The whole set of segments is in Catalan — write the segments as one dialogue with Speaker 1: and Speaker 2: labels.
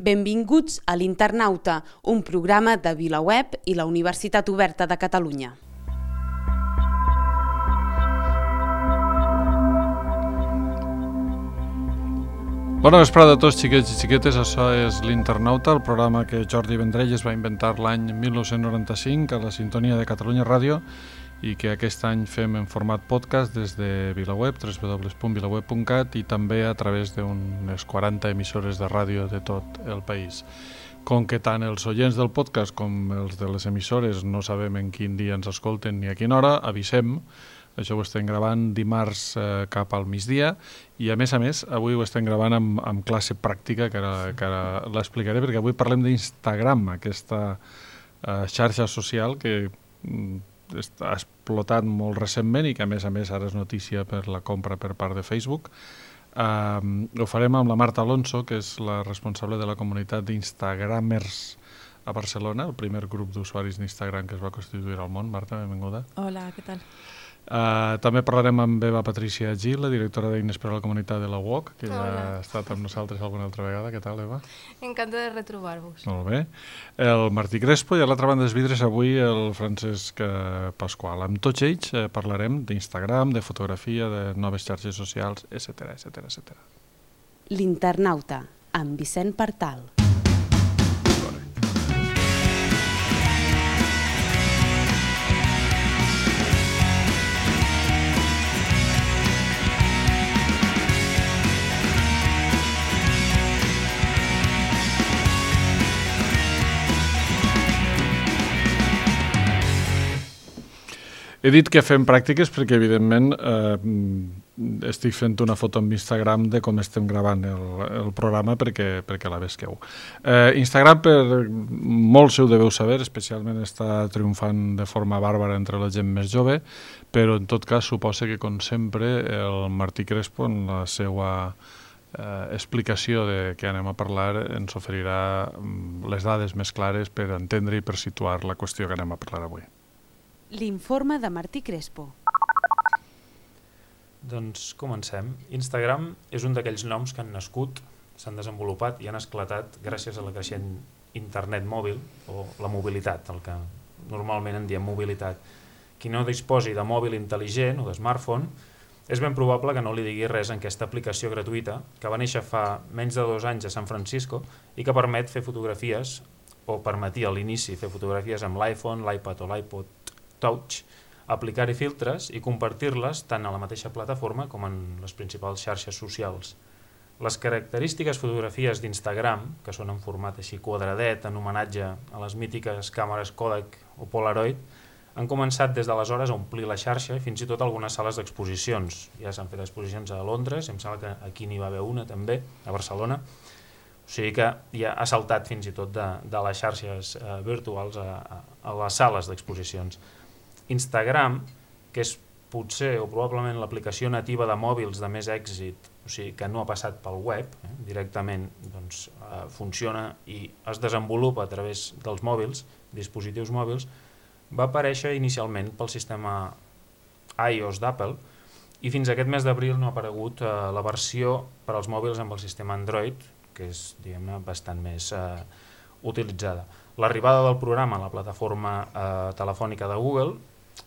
Speaker 1: Benvinguts a l'Internauta, un programa de VilaWeb i la Universitat Oberta de Catalunya.
Speaker 2: Bona vesprada a tots, xiquets i xiquetes. Això és l'Internauta, el programa que Jordi Vendrell es va inventar l'any 1995 a la sintonia de Catalunya Ràdio i que aquest any fem en format podcast des de VilaWeb, www.vilaweb.cat, i també a través d'unes 40 emissores de ràdio de tot el país. Com que tant els oients del podcast com els de les emissores no sabem en quin dia ens escolten ni a quina hora, avisem. Això ho estem gravant dimarts cap al migdia i, a més, avui ho estem gravant amb classe pràctica, que ara l'explicaré, perquè avui parlem d'Instagram, aquesta xarxa social que ha explotat molt recentment i que, a més, ara és notícia per la compra per part de Facebook. Ho farem amb la Marta Alonso, que és la responsable de la comunitat d'Instagramers a Barcelona, el primer grup d'usuaris d'Instagram que es va constituir al món. Marta, benvinguda.
Speaker 3: Hola, què tal?
Speaker 2: També parlarem amb Eva Patricia Gil, la directora d'Eines per a la comunitat de la UOC, que ja ha estat amb nosaltres alguna altra vegada. Què tal, Eva?
Speaker 3: Encantada de retrobar-vos.
Speaker 2: Molt bé. El Martí Crespo i a l'altra banda dels vidres avui el Francesc Pasqual. Amb tots ells parlarem d'Instagram, de fotografia, de noves xarxes socials, etc.
Speaker 1: L'Internauta, amb Vicent Partal.
Speaker 2: He dit que fem pràctiques perquè, evidentment, estic fent una foto amb Instagram de com estem gravant el programa perquè la vesqueu. Instagram, per molts ho deveu saber, especialment està triomfant de forma bàrbara entre la gent més jove, però en tot cas suposa que, com sempre, el Martí Crespo, en la seva explicació de què anem a parlar, ens oferirà les dades més clares per entendre i per situar la qüestió que anem a parlar avui.
Speaker 1: L'informe de Martí Crespo.
Speaker 4: Doncs comencem. Instagram és un d'aquells noms que han nascut, s'han desenvolupat i han esclatat gràcies a la creixent internet mòbil, o la mobilitat, el que normalment en diem mobilitat. Qui no disposi de mòbil intel·ligent o de smartphone, és ben probable que no li digui res en aquesta aplicació gratuïta que va néixer fa menys de 2 anys a San Francisco i que permet fer fotografies, o permetia a l'inici fer fotografies amb l'iPhone, l'iPad o l'iPod Touch, aplicar-hi filtres i compartir-les tant a la mateixa plataforma com en les principals xarxes socials. Les característiques fotografies d'Instagram, que són en format així quadradet, en homenatge a les mítiques càmeres Kodak o Polaroid, han començat des d'aleshores a omplir la xarxa i fins i tot algunes sales d'exposicions. Ja s'han fet exposicions a Londres, em sembla que aquí n'hi va haver una també, a Barcelona. O sigui que ja ha saltat fins i tot de les xarxes virtuals a les sales d'exposicions. Instagram, que és potser o probablement l'aplicació nativa de mòbils de més èxit, o sigui que no ha passat pel web, directament doncs, funciona i es desenvolupa a través dels mòbils, dispositius mòbils, va aparèixer inicialment pel sistema iOS d'Apple i fins aquest mes d'abril no ha aparegut la versió per als mòbils amb el sistema Android, que és, diguem-ne, bastant més utilitzada. L'arribada del programa a la plataforma telefònica de Google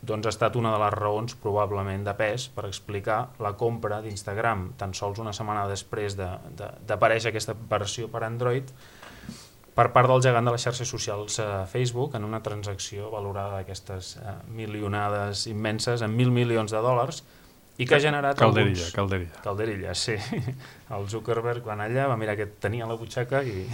Speaker 4: doncs ha estat una de les raons probablement de pes per explicar la compra d'Instagram tan sols una setmana després d'aparèixer aquesta versió per Android per part del gegant de les xarxes socials Facebook en una transacció valorada d'aquestes milionades immenses en $1.000 milions i que ha generat Calderilla, sí. El Zuckerberg va anar allà, va mirar què tenia a la butxaca i...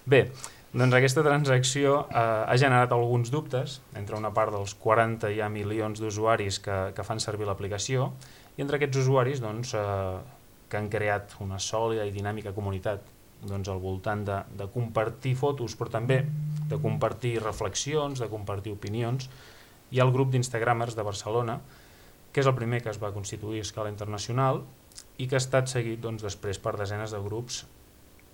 Speaker 4: Bé, doncs aquesta transacció ha generat alguns dubtes entre una part dels 40 ja milions d'usuaris que fan servir l'aplicació i entre aquests usuaris doncs, que han creat una sòlida i dinàmica comunitat doncs, al voltant de compartir fotos, però també de compartir reflexions, de compartir opinions. Hi ha el grup d'Instagramers de Barcelona, que és el primer que es va constituir a escala internacional i que ha estat seguit doncs, després per desenes de grups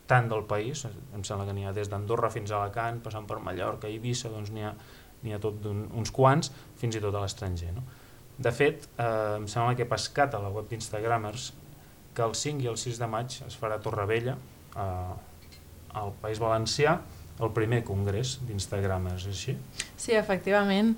Speaker 4: tant del país, em sembla que n'hi ha des d'Andorra fins a Alacant, passant per Mallorca i Eivissa, doncs n'hi ha tot uns quants, fins i tot a l'estranger. No? De fet, em sembla que he pescat a la web d'Instagramers que el 5 i el 6 de maig es farà a Torrevella, al País Valencià el primer congrés d'Instagram, és així?
Speaker 3: Sí, efectivament.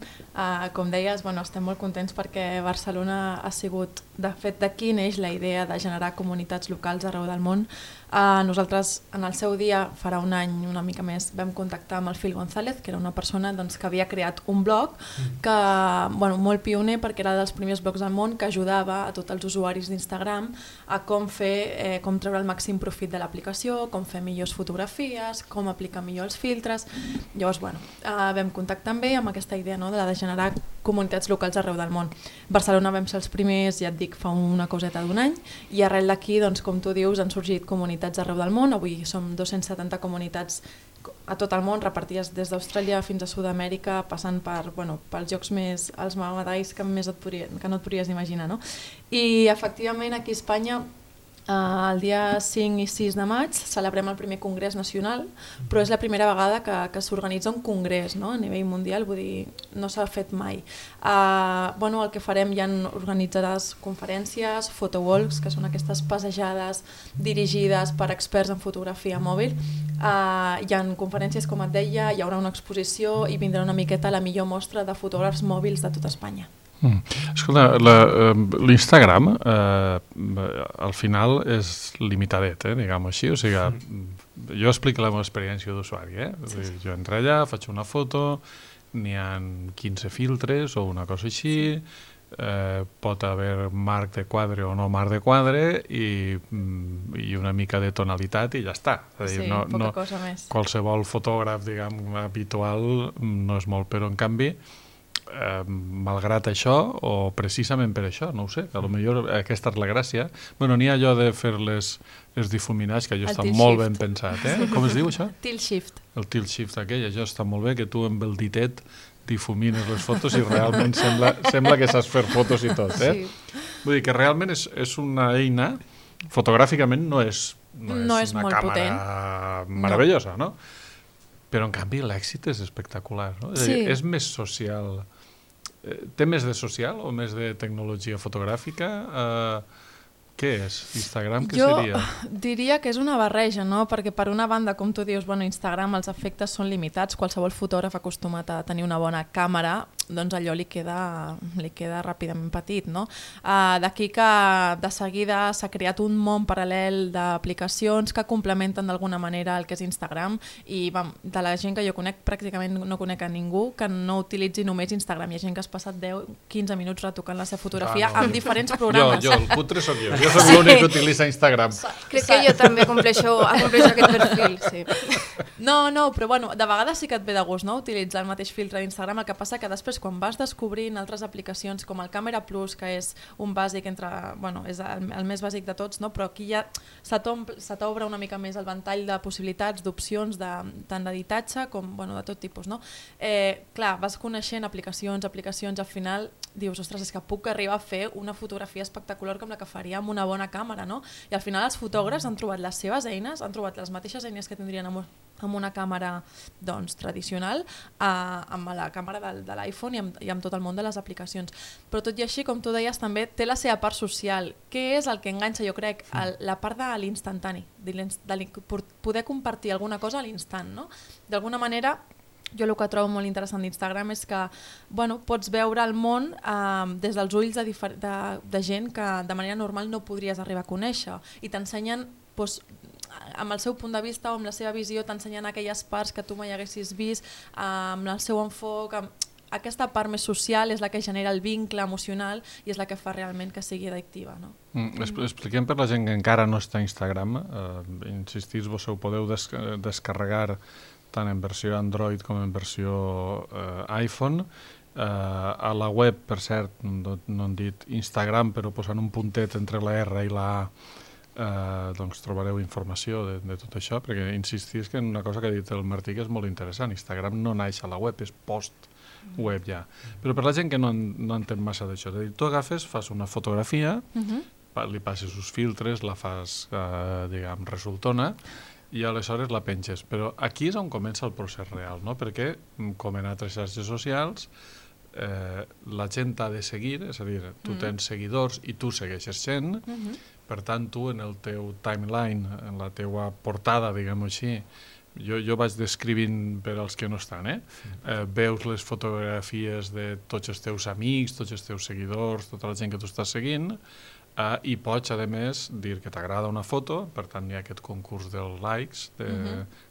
Speaker 3: Com deies, estem molt contents perquè Barcelona ha sigut, de fet, d'aquí neix la idea de generar comunitats locals arreu del món. Nosaltres, en el seu dia, farà un any, una mica més, vam contactar amb el Phil González, que era una persona que havia creat un blog que, molt pioner perquè era dels primers blogs del món que ajudava a tots els usuaris d'Instagram a com treure el màxim profit de l'aplicació, com fer millors fotografies, com aplicar millor els filtres. Llavors, vam contactar amb ell amb aquesta idea, no?, de generar comunitats locals arreu del món. Barcelona vam ser els primers, ja et dic, fa una coseta d'un any, i arrel d'aquí, com tu dius, han sorgit comunitats arreu del món. Avui som 270 comunitats a tot el món, repartides des d'Austràlia fins a Sud-amèrica, passant pels llocs més, els mamadais que no et podries imaginar, no? I efectivament aquí a Espanya el dia 5 i 6 de maig celebrem el primer congrés nacional, però és la primera vegada que s'organitza un congrés, no?, a nivell mundial, vull dir, no s'ha fet mai. El que farem, hi ha organitzades conferències, photowalks, que són aquestes passejades dirigides per experts en fotografia mòbil. Hi ha conferències, com et deia, hi haurà una exposició i vindrà una miqueta la millor mostra de fotògrafs mòbils de tota Espanya.
Speaker 2: Escolta, l'Instagram al final és limitadet, diguem-ho així, o sigui, jo explico la meva experiència d'usuari, jo entro allà, faig una foto, n'hi ha 15 filtres o una cosa així, pot haver marc de quadre o no marc de quadre i una mica de tonalitat i ja està.
Speaker 3: Sí, poca cosa més.
Speaker 2: Qualsevol fotògraf, diguem, habitual no és molt, però en canvi malgrat això, o precisament per això, no ho sé, a lo millor aquesta és la gràcia. N'hi ha allò de fer les difuminats, que allò està molt ben pensat, Com es diu això?
Speaker 3: Tilt shift.
Speaker 2: El tilt shift aquell, això està molt bé, que tu amb el ditet difumines les fotos i realment sembla que saps fer fotos i tot,
Speaker 3: Sí.
Speaker 2: Vull dir que realment és una eina, fotogràficament no és una càmera meravellosa, no? Però en canvi l'èxit és espectacular, no? És a dir, és més social. Té més de social o més de tecnologia fotogràfica? Què és? Instagram, què seria?
Speaker 3: Jo diria que és una barreja, no? Perquè per una banda, com tu dius, Instagram els efectes són limitats, qualsevol fotògraf acostumat a tenir una bona càmera, doncs allò li queda ràpidament petit, no? D'aquí que de seguida s'ha creat un món paral·lel d'aplicacions que complementen d'alguna manera el que és Instagram i de la gent que jo conec pràcticament no conec a ningú que no utilitzi només Instagram. Hi ha gent que has passat 10-15 minuts retocant la seva fotografia amb diferents programes.
Speaker 2: Jo, el putre sóc jo. Jo soc l'únic que utilitza Instagram.
Speaker 3: Crec que jo també compleixo aquest perfil, sí. No, però de vegades sí que et ve de gust, no?, utilitzar el mateix filtre d'Instagram. El que passa que després quan vas descobrint altres aplicacions com el Camera Plus, que és un bàsic és el més bàsic de tots, no?, però aquí ja se t'obre una mica més el ventall de possibilitats, d'opcions, tant d'editatge com de tot tipus, no? Clar, vas coneixent aplicacions, al final dius, ostres, és que puc arribar a fer una fotografia espectacular com la que faria amb una bona càmera, no? I al final els fotògrafs han trobat les seves eines, han trobat les mateixes eines que tindrien amb una càmera tradicional, amb la càmera de l'iPhone i amb tot el món de les aplicacions. Però tot i així, com tu deies, també té la seva part social. Què és el que enganxa, jo crec? La part de l'instantani, de poder compartir alguna cosa a l'instant, no? D'alguna manera, jo el que trobo molt interessant d'Instagram és que pots veure el món des dels ulls de gent que de manera normal no podries arribar a conèixer i t'ensenyen amb el seu punt de vista o amb la seva visió, t'ensenyen aquelles parts que tu mai haguessis vist, amb el seu enfoc. Aquesta part més social és la que genera el vincle emocional i és la que fa realment que sigui addictiva, no?
Speaker 2: Expliquem per la gent que encara no està a Instagram, insistís, vos ho podeu descarregar tant en versió Android com en versió iPhone. A la web, per cert, no han dit Instagram, però posant un puntet entre la R i la A, doncs trobareu informació de tot això, perquè insistís que en una cosa que ha dit el Martí que és molt interessant. Instagram no naix a la web, és post-web ja. Però per la gent que no entén massa d'això, és a dir, tu agafes, fas una fotografia, li passes uns filtres, la fas, diguem, resultona, i aleshores la penges. Però aquí és on comença el procés real, no? Perquè, com en altres xarxes socials, la gent t'ha de seguir, és a dir, tu tens seguidors i tu segueixes gent, Per tant, tu en el teu timeline, en la teua portada, diguem-ho així, jo vaig descrivint per als que no estan, veus les fotografies de tots els teus amics, tots els teus seguidors, tota la gent que tu estàs seguint, i pots, a més, dir que t'agrada una foto, per tant hi ha aquest concurs dels likes,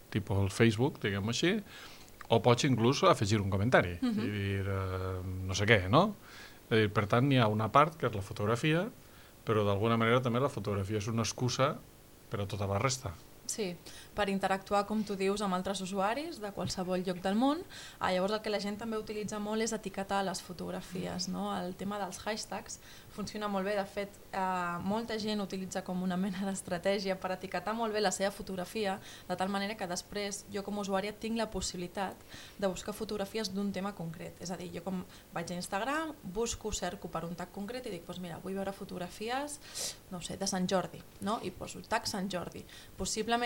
Speaker 2: tipus el Facebook, diguem-ho així, o pots inclús afegir un comentari i dir no sé què, no? Per tant, hi ha una part que és la fotografia, però d'alguna manera també la fotografia és una excusa per a tota la resta.
Speaker 3: Sí, per interactuar, com tu dius, amb altres usuaris de qualsevol lloc del món. Llavors el que la gent també utilitza molt és etiquetar les fotografies, no? El tema dels hashtags funciona molt bé. De fet, molta gent utilitza com una mena d'estratègia per etiquetar molt bé la seva fotografia, de tal manera que després jo com a usuària tinc la possibilitat de buscar fotografies d'un tema concret. És a dir, jo com vaig a Instagram, cerco per un tag concret i dic, doncs mira, vull veure fotografies, no sé, de Sant Jordi, no? I poso tag Sant Jordi. Possiblement,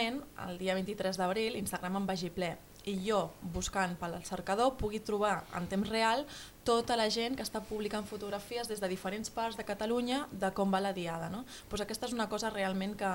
Speaker 3: el dia 23 d'abril, Instagram em vagi ple i jo, buscant pel cercador, pugui trobar en temps real tota la gent que està publicant fotografies des de diferents parts de Catalunya de com va la diada, no? Doncs aquesta és una cosa realment que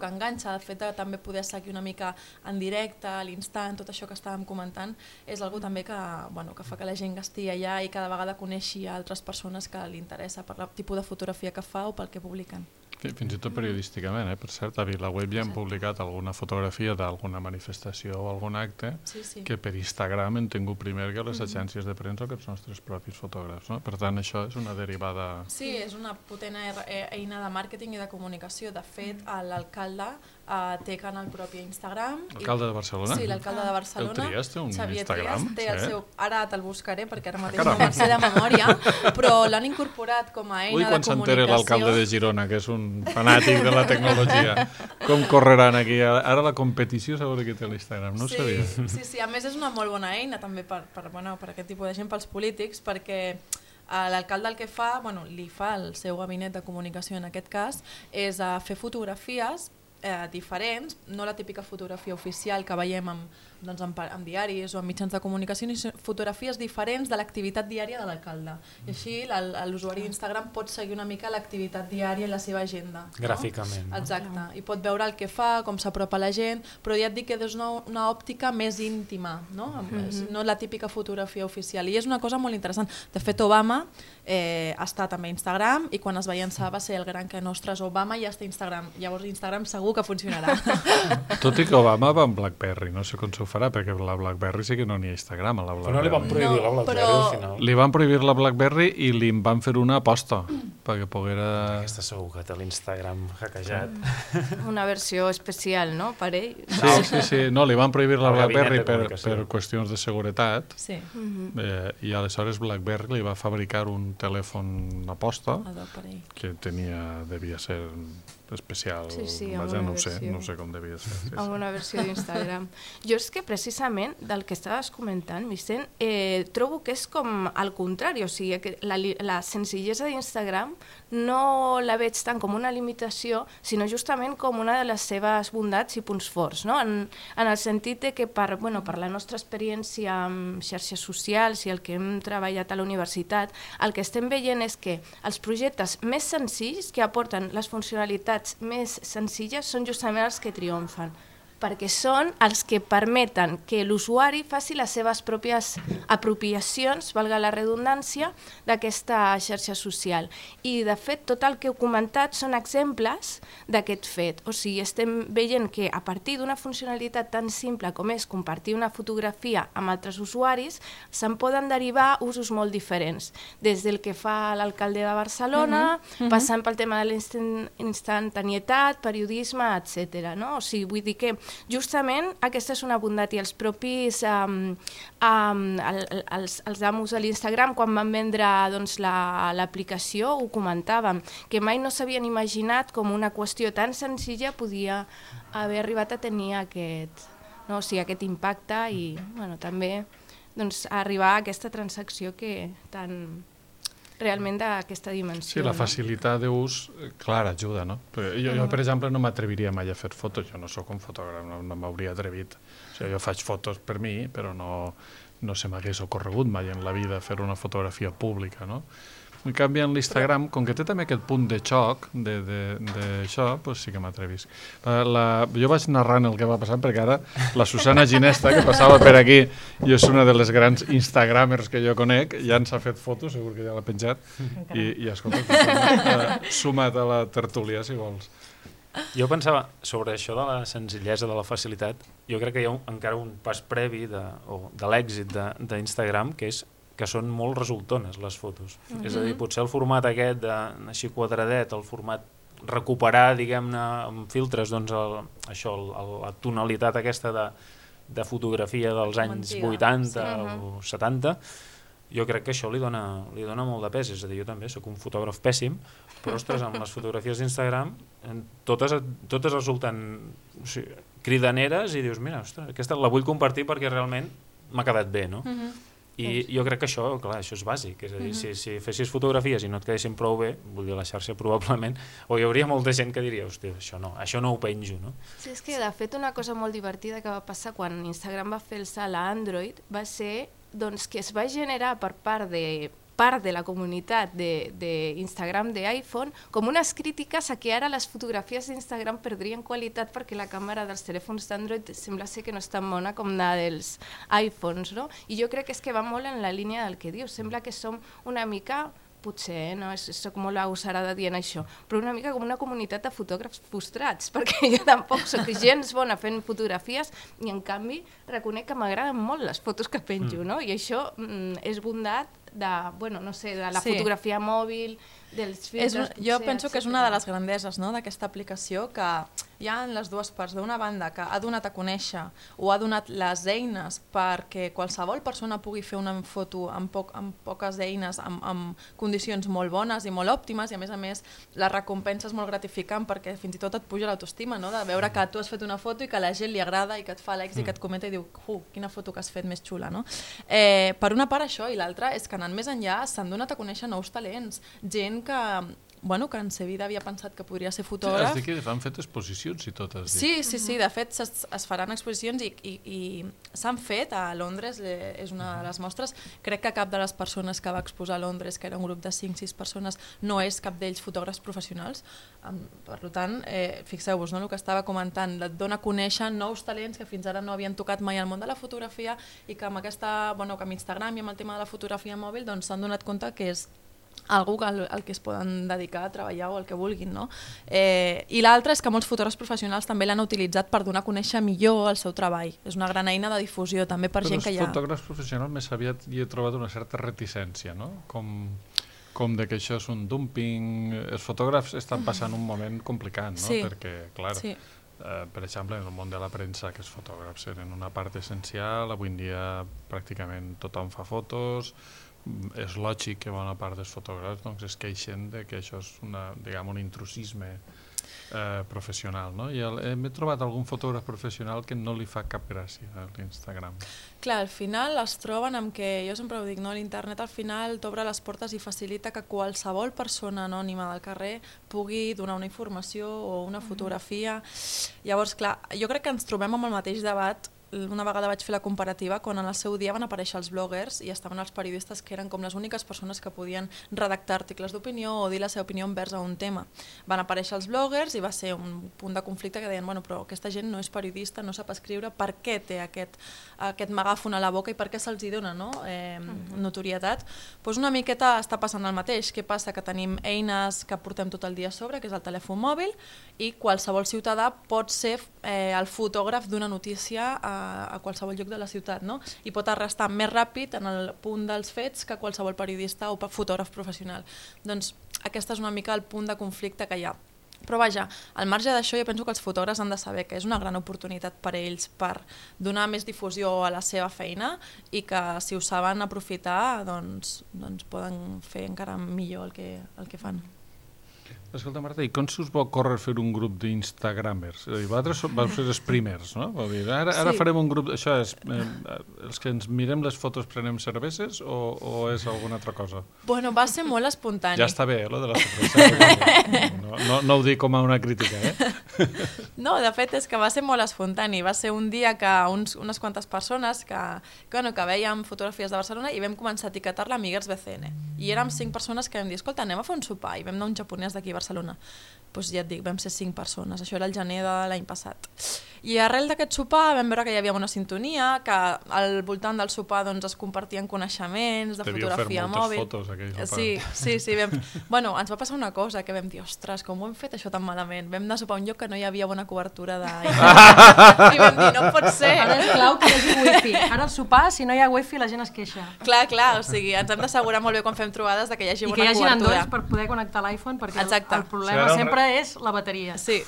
Speaker 3: enganxa. El fet de també poder seguir una mica en directe, a l'instant, tot això que estàvem comentant, és algo també que fa que la gent que estigui allà i cada vegada coneixi altres persones que li interessa per el tipus de fotografia que fa o pel que publiquen.
Speaker 2: Fins i tot periodísticament, per cert, a VilaWeb ja hem publicat alguna fotografia d'alguna manifestació o algun acte que per Instagram hem tingut primer que les agències de premsa o que els nostres propis fotògrafs. Per tant, això és una derivada...
Speaker 3: Sí, és una potent eina de màrqueting i de comunicació. De fet, l'alcalde té canal propi a Instagram.
Speaker 2: L'alcalde de Barcelona?
Speaker 3: Sí, l'alcalde de Barcelona.
Speaker 2: El Trias té un
Speaker 3: Instagram? Té el seu... Ara te'l buscaré perquè ara mateix
Speaker 2: no
Speaker 3: me'n sé de memòria, però l'han incorporat com a eina de comunicació.
Speaker 2: Quan s'entere l'alcalde de Girona, que és un fanàtic de la tecnologia, com correran aquí? Ara la competició segons que té l'Instagram, no ho sabia.
Speaker 3: Sí, a més és una molt bona eina també per aquest tipus de gent, pels polítics, perquè l'alcalde el que fa, li fa el seu gabinet de comunicació en aquest cas, és fer fotografies diferents, no la típica fotografia oficial que veiem en diaris o en mitjans de comunicació, sinó fotografies diferents de l'activitat diària de l'alcalde. I així l'usuari d'Instagram pot seguir una mica l'activitat diària en la seva agenda.
Speaker 4: Gràficament.
Speaker 3: Exacte. I pot veure el que fa, com s'apropa a la gent, però ja et dic que és una òptica més íntima, no la típica fotografia oficial. I és una cosa molt interessant. De fet, Obama està també a Instagram i quan es va llançar va ser el gran que nostres Obama ja està a Instagram. Llavors Instagram segur que funcionarà.
Speaker 2: Tot i que Obama va amb BlackBerry, no sé com s'ho farà, perquè la BlackBerry sí que no n'hi ha Instagram a la BlackBerry.
Speaker 4: Però no li van prohibir la BlackBerry al final.
Speaker 2: Li van prohibir la BlackBerry i li van fer una aposta perquè poguera...
Speaker 4: Aquesta segur que té l'Instagram hackejat.
Speaker 5: Una versió especial, no? Per ell.
Speaker 2: Sí. No, li van prohibir la BlackBerry per qüestions de seguretat i aleshores BlackBerry li va fabricar un telèfon aposta que devia ser especial, no sé com devia ser.
Speaker 5: Amb una versió d'Instagram. Jo és que precisament del que estaves comentant, Vicent, trobo que és com al contrari, o sigui, que la senzillesa d'Instagram no la veig tant com una limitació, sinó justament com una de les seves bondats i punts forts, no? En el sentit de que per la nostra experiència amb xarxes socials i el que hem treballat a la universitat, el que estem veient és que els projectes més senzills que aporten les funcionalitats més senzilles són justament els que triomfen, perquè són els que permeten que l'usuari faci les seves pròpies apropiacions, valga la redundància, d'aquesta xarxa social. I, de fet, tot el que heu comentat són exemples d'aquest fet. O sigui, estem veient que a partir d'una funcionalitat tan simple com és compartir una fotografia amb altres usuaris, se'n poden derivar usos molt diferents, des del que fa l'alcalde de Barcelona, passant pel tema de l'instantanietat, periodisme, etc. O sigui, vull dir que justament aquesta és una bondat i els propis els amos de l'Instagram quan van vendre l'aplicació ho comentàvem, que mai no s'havien imaginat com una qüestió tan senzilla podia haver arribat a tenir aquest impacte i també arribar a aquesta transacció que tan... realment d'aquesta dimensió.
Speaker 2: Sí, la facilitat d'ús, clar, ajuda, no? Jo, per exemple, no m'atreviria mai a fer fotos, jo no sóc un fotògraf, no m'hauria atrevit. O sigui, jo faig fotos per mi, però no se m'hagués ocorregut mai en la vida fer una fotografia pública, no? En canvi, en l'Instagram, com que té també aquest punt de xoc d'això, doncs sí que m'atrevisc. Jo vaig narrant el que va passar, perquè ara la Susana Ginesta, que passava per aquí, i és una de les grans instagramers que jo conec, ja ens ha fet fotos, segur que ja l'ha penjat, i escolta, suma't a la tertúlia, si vols.
Speaker 4: Jo pensava, sobre això de la senzillesa, de la facilitat, jo crec que hi ha encara un pas previ de l'èxit d'Instagram, que són molt resultones les fotos. És a dir, potser el format aquest, així quadradet, el format recuperar, diguem-ne, amb filtres, doncs la tonalitat aquesta de fotografia dels anys 80 o 70, jo crec que això li dona molt de pes. És a dir, jo també soc un fotògraf pèssim, però, ostres, amb les fotografies d'Instagram totes resulten cridaneres i dius, mira, ostres, aquesta la vull compartir perquè realment m'ha quedat bé, no? I jo crec que això, clar, això és bàsic, és a dir, si fessis fotografies i no et quedessin prou bé, vull dir, la xarxa probablement, o hi hauria molta gent que diria, hòstia, això no ho penjo, no?
Speaker 5: Sí, és que de fet una cosa molt divertida que va passar quan Instagram va fer el salt a Android va ser doncs, que es va generar per part de la comunitat d'Instagram d'iPhone com unes crítiques a que ara les fotografies d'Instagram perdrien qualitat perquè la càmera dels telèfons d'Android sembla ser que no és tan bona com la dels iPhones, no? I jo crec que és que va molt en la línia del que dius, sembla que som una mica, potser, no? Soc molt agosarada dient això, però una mica com una comunitat de fotògrafs frustrats, perquè jo tampoc soc gens bona fent fotografies i en canvi reconec que m'agraden molt les fotos que penjo, no? I això és bondat de la fotografia mòbil, dels filtres...
Speaker 3: Jo penso que és una de les grandeses d'aquesta aplicació, que hi ha en les dues parts. D'una banda, que ha donat a conèixer o ha donat les eines perquè qualsevol persona pugui fer una foto amb poques eines, amb condicions molt bones i molt òptimes, i a més la recompensa és molt gratificant perquè fins i tot et puja l'autoestima, no? De veure que tu has fet una foto i que a la gent li agrada i que et fa likes i que et comenta i diu, quina foto que has fet més xula, no? Per una part això, i l'altra és que anant més enllà s'han donat a conèixer nous talents, gent que en sa vida havia pensat que podria ser fotògraf.
Speaker 2: Has dit que han fet exposicions i tot, has
Speaker 3: dit. Sí, de fet es faran exposicions i s'han fet a Londres, és una de les mostres. Crec que cap de les persones que va exposar a Londres, que era un grup de 5-6 persones, no és cap d'ells fotògrafs professionals. Per tant, fixeu-vos, el que estava comentant, et dona a conèixer nous talents que fins ara no havien tocat mai al món de la fotografia i que amb Instagram i amb el tema de la fotografia mòbil s'han donat compte que és algú al que es poden dedicar a treballar o al que vulguin, no? I l'altre és que molts fotògrafs professionals també l'han utilitzat per donar a conèixer millor el seu treball. És una gran eina de difusió també per gent que hi ha...
Speaker 2: Però els fotògrafs professionals més aviat hi he trobat una certa reticència, no? Com de que això és un dumping... Els fotògrafs estan passant un moment complicat, no?
Speaker 3: Sí.
Speaker 2: Perquè, clar, per exemple, en el món de la premsa, que els fotògrafs eren una part essencial, avui en dia pràcticament tothom fa fotos... És lògic que bona part dels fotògrafs es queixen de que això és un intrusisme professional, no? I m'he trobat algun fotògraf professional que no li fa cap gràcia a l'Instagram.
Speaker 3: Clar, al final es troben amb que, jo sempre ho dic, l'internet al final t'obre les portes i facilita que qualsevol persona anònima del carrer pugui donar una informació o una fotografia. Llavors, clar, jo crec que ens trobem amb el mateix debat. Una vegada vaig fer la comparativa quan en el seu dia van aparèixer els bloggers i estaven els periodistes que eren com les úniques persones que podien redactar articles d'opinió o dir la seva opinió envers a un tema. Van aparèixer els bloggers i va ser un punt de conflicte que deien, però aquesta gent no és periodista, no sap escriure, per què té aquest megàfon a la boca i per què se'ls hi dona notorietat? Doncs una miqueta està passant el mateix. Què passa? Que tenim eines que portem tot el dia a sobre, que és el telèfon mòbil, i qualsevol ciutadà pot ser el fotògraf d'una notícia a qualsevol lloc de la ciutat, no? I pot arrestar més ràpid en el punt dels fets que qualsevol periodista o fotògraf professional. Doncs aquest és una mica el punt de conflicte que hi ha. Però vaja, al marge d'això jo penso que els fotògrafs han de saber que és una gran oportunitat per a ells per donar més difusió a la seva feina i que si ho saben aprofitar doncs poden fer encara millor el que fan.
Speaker 2: Escolta, Marta, i com s'us va córrer fer un grup d'Instagramers? Vosaltres vau ser els primers, no? Ara farem un grup... Això és... els que ens mirem les fotos prenem cerveses o és alguna altra cosa?
Speaker 3: Bueno, va ser molt espontani.
Speaker 2: Ja està bé, lo de la cervesa. No ho dic com a una crítica,
Speaker 3: No, de fet, és que va ser molt espontani. Va ser un dia que unes quantes persones que veiem fotografies de Barcelona i vam començar a etiquetar-la Amiguers BCN. I érem 5 persones que vam dir, escolta, anem a fer un sopar. I vam anar un japonès d'aquí a Barcelona. Doncs ja et dic, vam ser 5 persones. Això era el gener de l'any passat. I arrel d'aquest sopar vam veure que hi havia una sintonia, que al voltant del sopar doncs, es compartien coneixements de fotografia mòbil.
Speaker 2: Devíeu fer moltes fotos aquell
Speaker 3: Sí.
Speaker 2: sopar.
Speaker 3: Bueno, ens va passar una cosa que vam dir, ostres, com ho hem fet això tan malament? Vam anar a sopar a un lloc que no hi havia bona cobertura i vam dir, no pot ser.
Speaker 6: Ara és clau que hi hagi wifi. Ara al sopar, si no hi ha wifi, la gent es queixa.
Speaker 3: Clar, o sigui, ens hem d'assegurar molt bé quan fem trobades de que hi hagi bona cobertura.
Speaker 6: I que hi hagi Android per poder connectar l'iPhone, perquè el problema sempre és la bateria.
Speaker 3: Sí.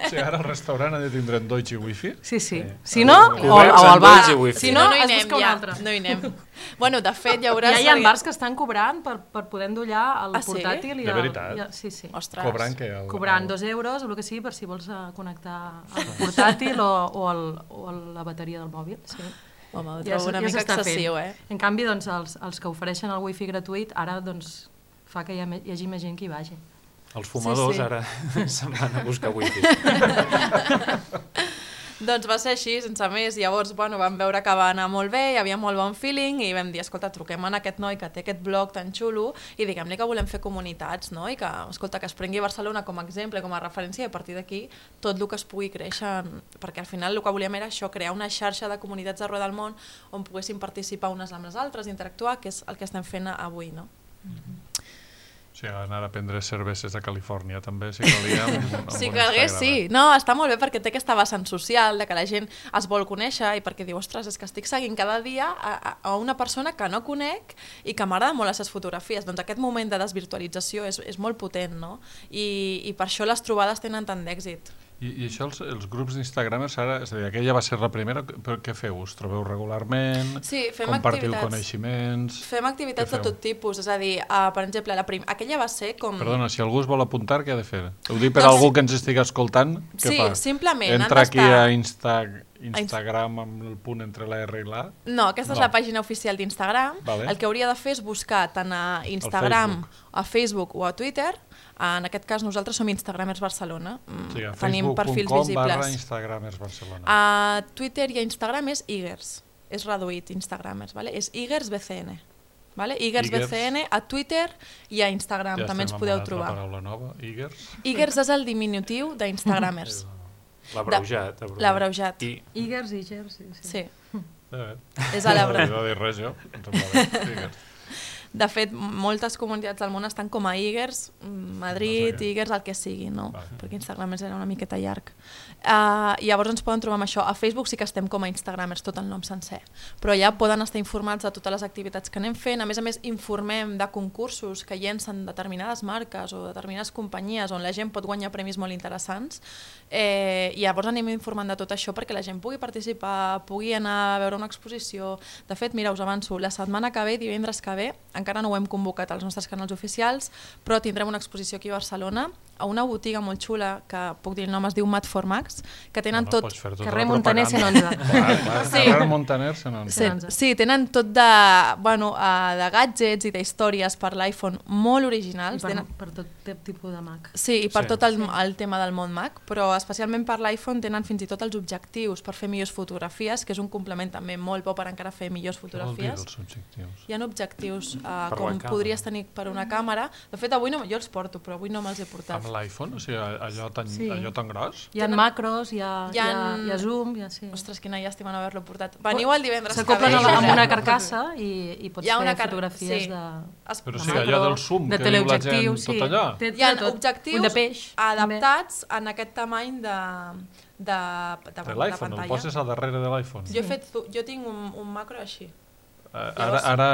Speaker 2: Si ara el restaurant ha de tindre Android i wifi.
Speaker 6: Sí. Si no, o al bar.
Speaker 3: Si no, es busca un altre. No hi anem. Bueno, de fet, hi haurà...
Speaker 6: Ja hi ha bars que estan cobrant per poder endollar el portàtil.
Speaker 2: De veritat?
Speaker 6: Sí.
Speaker 3: Ostres.
Speaker 2: Cobrant què?
Speaker 6: Cobrant 2 euros o el que sigui per si vols connectar el portàtil o la bateria del mòbil. Sí.
Speaker 3: Home, ho trobo una mica excessiu,
Speaker 6: En canvi, doncs, els que ofereixen el wifi gratuït ara doncs, fa que hi hagi més gent que hi vagi.
Speaker 4: Els fumadors ara se'n van a buscar wifi.
Speaker 3: Doncs va ser així, sense més. Llavors, bueno, vam veure que va anar molt bé, hi havia molt bon feeling i vam dir, escolta, truquem a aquest noi que té aquest blog tan xulo i diguem-li que volem fer comunitats, no? I que, escolta, que es prengui Barcelona com a exemple, com a referència i a partir d'aquí tot el que es pugui créixer, perquè al final el que volíem era això, crear una xarxa de comunitats arreu del món on poguessin participar unes amb les altres, interactuar, que és el que estem fent avui, no?
Speaker 2: Sí, anar a prendre cerveses a Califòrnia també, si calia.
Speaker 3: Si calgués, sí. No, està molt bé perquè té aquesta vessant social, de que la gent es vol conèixer i perquè diu, ostres, és que estic seguint cada dia a una persona que no conec i que m'agrada molt les seves fotografies. Doncs aquest moment de desvirtualització és molt potent, no? I per això les trobades tenen tant d'èxit.
Speaker 2: I això, els grups d'Instagramers, ara, és a dir, aquella va ser la primera, però què feu? Us trobeu regularment?
Speaker 3: Sí, fem
Speaker 2: compartiu
Speaker 3: activitats.
Speaker 2: Coneixements?
Speaker 3: Fem activitats de tot tipus, és a dir, per exemple, aquella va ser com...
Speaker 2: Perdona, si algú es vol apuntar, què ha de fer? Ho dic per algú que ens estigui escoltant, què fa?
Speaker 3: Sí, simplement.
Speaker 2: Entra aquí a Instagram amb el punt entre la R i la?
Speaker 3: No, aquesta és la pàgina oficial d'Instagram.
Speaker 2: Vale.
Speaker 3: El que hauria de fer és buscar tant a Instagram, a Facebook o a Twitter. En aquest cas nosaltres som Instagramers Barcelona.
Speaker 2: Sí, a
Speaker 3: tenim perfils visibles.
Speaker 2: Facebook.com/Instagramers Barcelona.
Speaker 3: A Twitter i a Instagram és Igers. És reduït Instagramers, vale? És Igers BCN. Vale? Igers BCN a Twitter i a Instagram, també ens podeu trobar.
Speaker 2: Ja estem amb una altra paraula nova, Igers.
Speaker 3: Igers és el diminutiu d'Instagramers. L'abreujat.
Speaker 6: Igers,
Speaker 3: sí.
Speaker 2: És a l'Ebre. No dir res jo. Igers.
Speaker 3: De fet, moltes comunitats del món estan com a Igers, Madrid, Igers, el que sigui, no? Perquè Instagramers era una miqueta llarg. Llavors ens poden trobar amb això. A Facebook sí que estem com a Instagramers, tot el nom sencer. Però ja poden estar informats de totes les activitats que anem fent. A més, informem de concursos que llencen determinades marques o determinades companyies on la gent pot guanyar premis molt interessants. I llavors anem informant de tot això perquè la gent pugui participar, pugui anar a veure una exposició. De fet, mira, us avanço, la setmana que ve, divendres que ve, encara no ho hem convocat als nostres canals oficials, però tindrem una exposició aquí a Barcelona, a una botiga molt xula, que puc dir el nom, es diu Mat for Max, que tenen tot...
Speaker 6: Carrer Montaner 111.
Speaker 2: Carrer Montaner 111.
Speaker 3: Sí, tenen tot de gadgets i d'històries per l'iPhone molt originals.
Speaker 6: I per tot tipus de Mac.
Speaker 3: Sí, i per tot el tema del món Mac, però especialment per l'iPhone tenen fins i tot els objectius per fer millors fotografies, que és un complement també molt bo per encara fer millors fotografies.
Speaker 2: Què vol dir els objectius?
Speaker 3: Hi ha objectius com podries tenir per una càmera. De fet, avui jo els porto, però avui no me'ls he portat.
Speaker 2: Amb l'iPhone? O sigui, allò tan gros?
Speaker 6: Hi ha macros, hi ha zoom...
Speaker 3: Ostres, quina llàstima no haver-lo portat. Veniu el divendres que ve.
Speaker 6: S'acoplen amb una carcassa i pots fer fotografies de...
Speaker 2: Però sí, allò del zoom, que diu la gent, tot allò.
Speaker 3: Hi ha objectius adaptats en aquest tamany de
Speaker 2: l'iPhone, el poses a darrere de l'iPhone.
Speaker 3: Jo tinc un macro així.
Speaker 2: Ara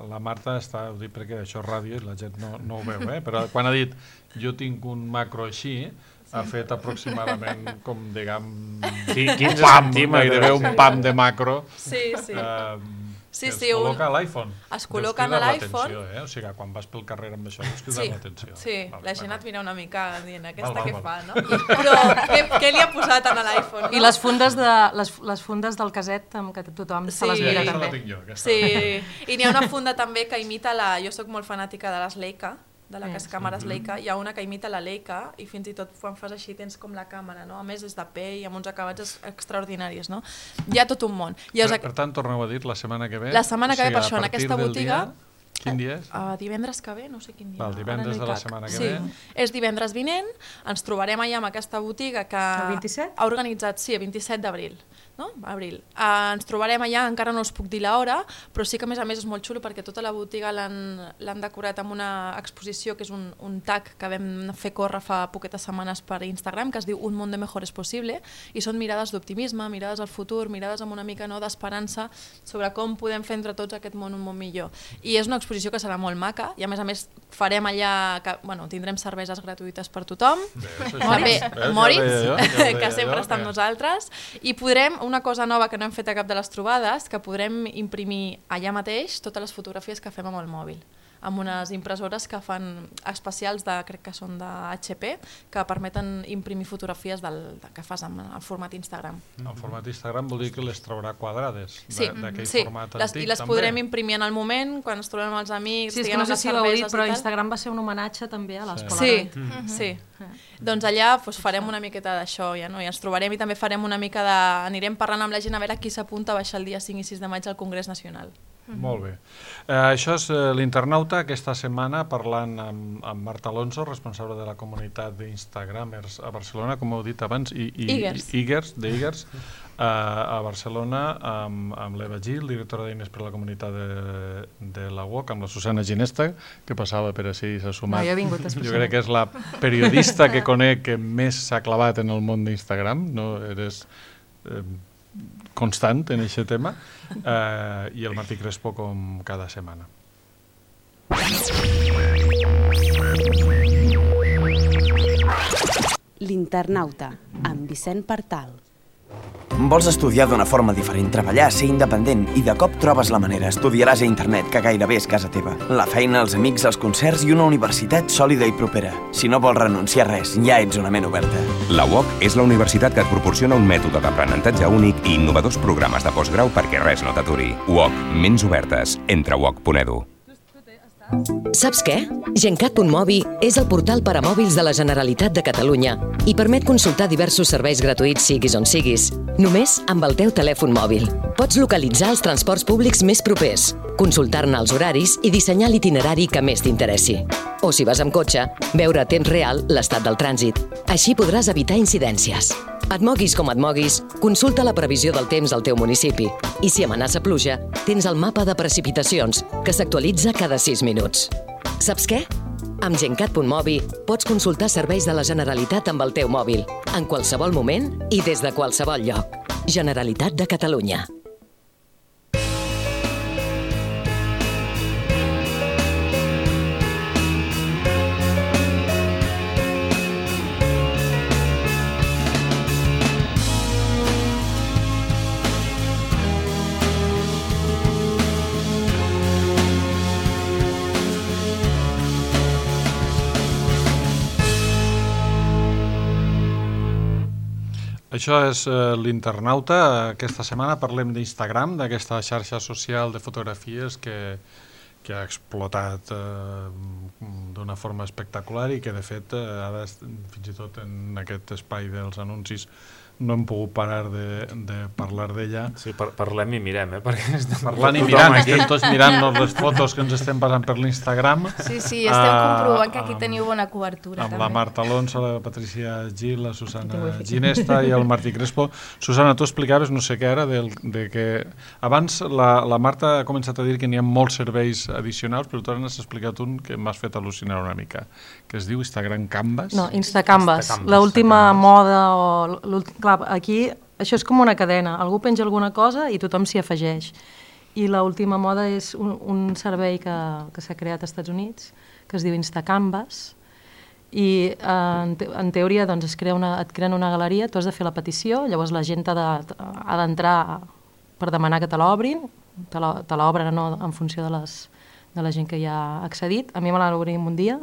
Speaker 2: la Marta està, ho dic perquè això és ràdio i la gent no ho veu, però quan ha dit jo tinc un macro així, ha fet aproximadament com, diguem,
Speaker 4: 15 centímetres.
Speaker 2: Gairebé un pam de macro.
Speaker 3: Sí. Sí,
Speaker 2: es col·loca a l'iPhone.
Speaker 3: Es col·loca a l'iPhone.
Speaker 2: O sigui, quan vas pel carrer amb això, deus cridar l'atenció.
Speaker 3: Sí, la gent et mira una mica dient aquesta què fa, no?
Speaker 2: Val.
Speaker 3: Però què li ha posat a l'iPhone?
Speaker 6: I les fundes del caset que tothom se les mira també.
Speaker 2: La tinc jo,
Speaker 3: sí, i n'hi ha una funda també que imita jo soc molt fanàtica de les Leica, de les càmeres Leica, hi ha una que imita la Leica i fins i tot quan fas així tens com la càmera, no? A més és de pell, amb uns acabats extraordinaris, no? Hi ha tot un món.
Speaker 2: Per tant, torneu a dir la setmana que ve.
Speaker 3: La setmana que ve, per això, en aquesta botiga...
Speaker 2: Quin dia és?
Speaker 3: Divendres que ve, no sé quin dia.
Speaker 2: Val, divendres de la setmana que ve.
Speaker 3: És divendres vinent, ens trobarem allà amb aquesta botiga que
Speaker 6: El 27?
Speaker 3: ha organitzat, sí, el 27 d'abril. No? Abril. Ens trobarem allà, encara no us puc dir l'hora, però sí que a més és molt xulo perquè tota la botiga l'han decorat amb una exposició que és un tag que vam fer córrer fa poquetes setmanes per Instagram, que es diu Un mundo mejor es posible, i són mirades d'optimisme, mirades al futur, mirades amb una mica d'esperança sobre com podem fer entre tots aquest món un món millor. I és una exposició que serà molt maca, i a més farem allà, tindrem cerveses gratuïtes per tothom, Moritz, que sempre està amb nosaltres, i podrem, una cosa nova que no hem fet a cap de les trobades, que podrem imprimir allà mateix totes les fotografies que fem amb el mòbil, amb unes impressores que fan especials, crec que són de HP, que permeten imprimir fotografies que fas en el format Instagram.
Speaker 2: En format Instagram vol dir que les traurà quadrades d'aquell format antic.
Speaker 3: I les podrem imprimir en el moment, quan ens trobem amb els amics,
Speaker 6: sí, és que no sé si l'heu dit, però Instagram va ser un homenatge també a l'Escola.
Speaker 3: Sí. Doncs allà farem una miqueta d'això, i ens trobarem i també farem una mica anirem parlant amb la gent a veure qui s'apunta a baixar el dia 5 i 6 de maig al Congrés Nacional.
Speaker 2: Molt bé. Això és l'Internauta, aquesta setmana parlant amb Marta Alonso, responsable de la comunitat d'Instagramers a Barcelona, com heu dit abans, d'Igers, a Barcelona, amb l'Eva Gil, directora d'Eines per la comunitat de la UOC, amb la Susana Ginesta, que passava per així i s'ha sumat. Jo crec que és la periodista que conec que més s'ha clavat en el món d'Instagram, no? Eres constant en aquest tema, i el Martí Crespo com cada setmana.
Speaker 1: L'Internauta, amb Vicent Partal.
Speaker 7: Vols estudiar d'una forma diferent, treballar, ser independent i de cop trobes la manera. Estudiaràs a internet, que gairebé és casa teva. La feina, els amics, els concerts i una universitat sòlida i propera. Si no vols renunciar a res, ja ets una ment oberta.
Speaker 8: La UOC és la universitat que et proporciona un mètode d'aprenentatge únic i innovadors programes de postgrau perquè res no t'aturi. UOC, ments obertes. Entra a uoc.edu.
Speaker 9: Saps què? Gencat.mobi és el portal per a mòbils de la Generalitat de Catalunya i permet consultar diversos serveis gratuïts siguis on siguis, només amb el teu telèfon mòbil. Pots localitzar els transports públics més propers, consultar-ne els horaris i dissenyar l'itinerari que més t'interessi. O si vas amb cotxe, veure a temps real l'estat del trànsit. Així podràs evitar incidències. Et moguis com et moguis, consulta la previsió del temps al teu municipi. I si amenaça pluja, tens el mapa de precipitacions, que s'actualitza cada 6 minuts. Saps què? Amb Gencat.mobi pots consultar serveis de la Generalitat amb el teu mòbil, en qualsevol moment i des de qualsevol lloc. Generalitat de Catalunya.
Speaker 2: Això és l'Internauta. Aquesta setmana parlem d'Instagram, d'aquesta xarxa social de fotografies que ha explotat d'una forma espectacular i que, de fet, ara, fins i tot en aquest espai dels anuncis, no hem pogut parar de parlar d'ella.
Speaker 4: Sí, parlem i mirem, perquè
Speaker 2: parlant i mirant, estem tots mirant les fotos que ens estem passant per l'Instagram.
Speaker 5: Sí, estem comprovant que aquí teniu bona cobertura.
Speaker 2: Amb la Marta Alonso, la Patricia Gil, la Susana Ginesta i el Martí Crespo. Susana, tu explicaves, no sé què era, de que abans la Marta ha començat a dir que n'hi ha molts serveis addicionals, però tu ara n'has explicat un que m'has fet al·lucinar una mica, que es diu Instagram Canvas.
Speaker 6: No, Instacanvas. L'última moda o... Clar, aquí això és com una cadena. Algú penja alguna cosa i tothom s'hi afegeix. I l'última moda és un servei que s'ha creat als Estats Units, que es diu Instacanvas, i en teoria doncs, et creen una galeria, tu has de fer la petició, llavors la gent ha d'entrar per demanar que te l'obrin, te l'obren en funció de la gent que hi ha accedit. A mi me l'obrim un dia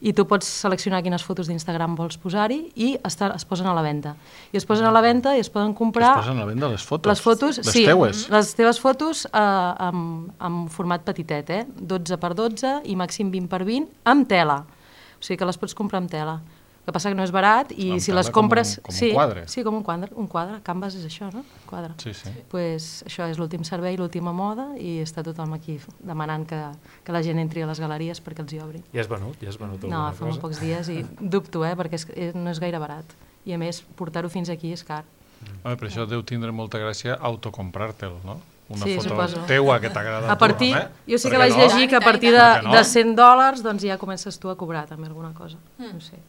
Speaker 6: i tu pots seleccionar quines fotos d'Instagram vols posar-hi i es posen a la venda. I es posen a la venda i es poden comprar...
Speaker 2: Es posen a la venda les fotos?
Speaker 6: Les fotos,
Speaker 2: les
Speaker 6: sí.
Speaker 2: Teues?
Speaker 6: Les teves fotos en format petitet, 12x12 i màxim 20x20, amb tela. O sigui que les pots comprar amb tela. El que passa que no és barat i si les compres...
Speaker 2: Com un quadre.
Speaker 6: Sí, com un quadre. Canvas és això, no? Quadre.
Speaker 2: Sí, sí.
Speaker 6: Pues això és l'últim servei, l'última moda i està tothom aquí demanant que la gent entri a les galeries perquè els hi obri.
Speaker 4: Ja has venut alguna cosa?
Speaker 6: No, fa molt pocs dies i dubto, perquè no és gaire barat. I a més, portar-ho fins aquí és car.
Speaker 2: Per això deu tindre molta gràcia autocomprar-te'l, no? Una
Speaker 6: Sí,
Speaker 2: foto
Speaker 6: suposo.
Speaker 2: teua que t'agrada
Speaker 6: A partir, jo sí que vaig llegir que a partir de $100 doncs ja comences tu a cobrar també alguna cosa.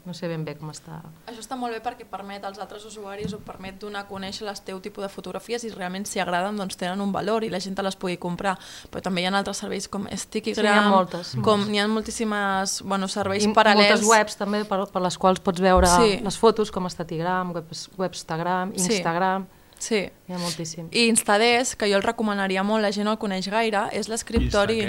Speaker 6: No sé ben bé com està.
Speaker 3: Això està molt bé perquè permet als altres usuaris o permet donar a conèixer el teu tipus de fotografies i realment si agraden doncs tenen un valor i la gent te les pugui comprar. Però també hi ha altres serveis com Stickgram,
Speaker 6: Sí, n'hi ha moltes.
Speaker 3: N'hi ha moltíssimes serveis paral·lels.
Speaker 6: Moltes webs també per les quals pots veure les fotos com Statigram, Webstagram, Instagram...
Speaker 3: Sí.
Speaker 6: Hi ha moltíssim.
Speaker 3: I Instadesk, que jo el recomanaria molt, la gent no el coneix gaire, és l'escriptori...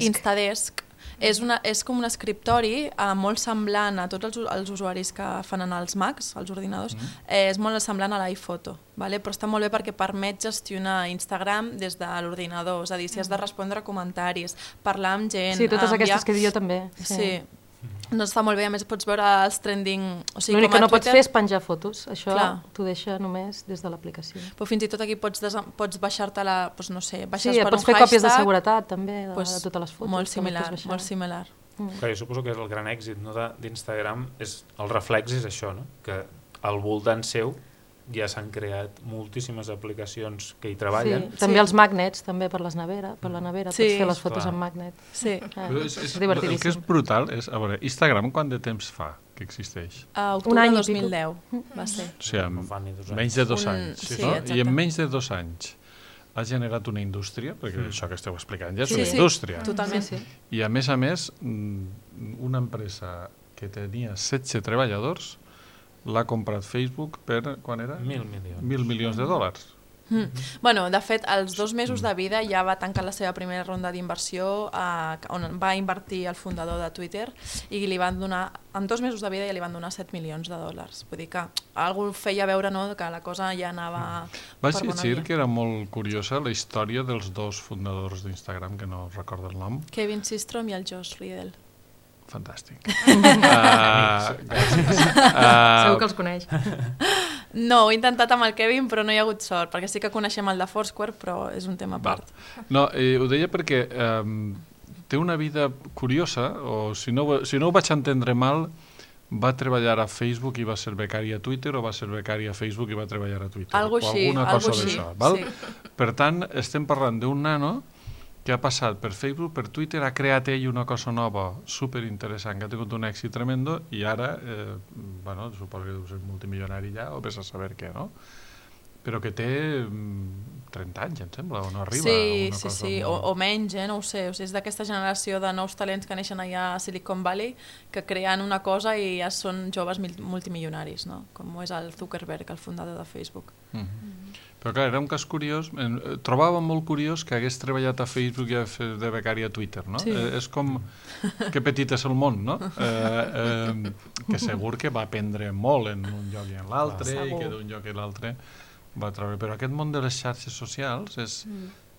Speaker 3: Instadesk. És com un escriptori molt semblant a tots els usuaris que fan en els Macs, els ordinadors, és molt semblant a l'iPhoto, però està molt bé perquè permet gestionar Instagram des de l'ordinador, és a dir, si has de respondre comentaris, parlar amb gent...
Speaker 6: Sí, totes aquestes que dic jo també.
Speaker 3: Sí. No està molt bé, a més pots veure els trending...
Speaker 6: L'únic que no pots fer és penjar fotos, això t'ho deixa només des de l'aplicació.
Speaker 3: Però fins i tot aquí pots baixar-te-la, no sé, baixes
Speaker 6: per un hashtag... Sí, pots fer còpies de seguretat també, de totes les fotos.
Speaker 3: Molt similar.
Speaker 4: Jo suposo que és el gran èxit d'Instagram, el reflex és això, que al voltant seu ja s'han creat moltíssimes aplicacions que hi treballen.
Speaker 6: Sí, també els magnets, també per la nevera, pots fer les fotos amb magnet.
Speaker 3: Sí.
Speaker 6: És divertidíssim.
Speaker 2: El que és brutal és, a veure, Instagram quant de temps fa que existeix?
Speaker 3: Octubre de 2010 va ser.
Speaker 2: O sigui, menys de 2 anys. I en menys de 2 anys ha generat una indústria, perquè això que esteu explicant ja és una indústria.
Speaker 3: Totalment.
Speaker 2: I a més, una empresa que tenia 16 treballadors l'ha comprat Facebook per, quan era?
Speaker 4: 1.000 milions.
Speaker 2: 1.000 milions de dòlars.
Speaker 3: De fet, als 2 mesos de vida ja va tancar la seva primera ronda d'inversió on va invertir el fundador de Twitter i li van donar, en 2 mesos de vida ja li van donar 7 milions de dòlars. Vull dir que algú feia veure que la cosa ja anava per bona via.
Speaker 2: Vaig dir que era molt curiosa la història dels 2 fundadors d'Instagram, que no recordo el nom.
Speaker 3: Kevin Systrom i el Josh Riddell.
Speaker 2: Fantàstic.
Speaker 6: Segur que els coneix.
Speaker 3: No, ho he intentat amb el Kevin, però no hi ha hagut sort, perquè sí que coneixem el de Foursquare, però és un tema a part.
Speaker 2: No, ho deia perquè té una vida curiosa, o si no ho vaig entendre mal, va treballar a Facebook i va ser becari a Twitter, o va ser becari a Facebook i va treballar a Twitter.
Speaker 3: Algo així,
Speaker 2: alguna cosa d'això.
Speaker 3: Sí.
Speaker 2: Per tant, estem parlant d'un nano que ha passat per Facebook, per Twitter, ha creat ell una cosa nova, superinteressant, que ha tingut un èxit tremendo, i ara, suposo que deu ser multimilionari ja, o vés a saber què, no? Però que té 30 anys, em sembla, o no arriba a una cosa.
Speaker 3: Sí, o menys, no ho sé. O sigui, és d'aquesta generació de nous talents que neixen allà a Silicon Valley, que creen una cosa i ja són joves multimilionaris, no? Com és el Zuckerberg, el fundador de Facebook.
Speaker 2: Però clar, era un cas curiós, trobava molt curiós que hagués treballat a Facebook i de becari a Twitter, no?
Speaker 3: Sí.
Speaker 2: És com que petit és el món, no? Que segur que va aprendre molt en un lloc i en l'altre, i que d'un lloc i l'altre va treure. Però aquest món de les xarxes socials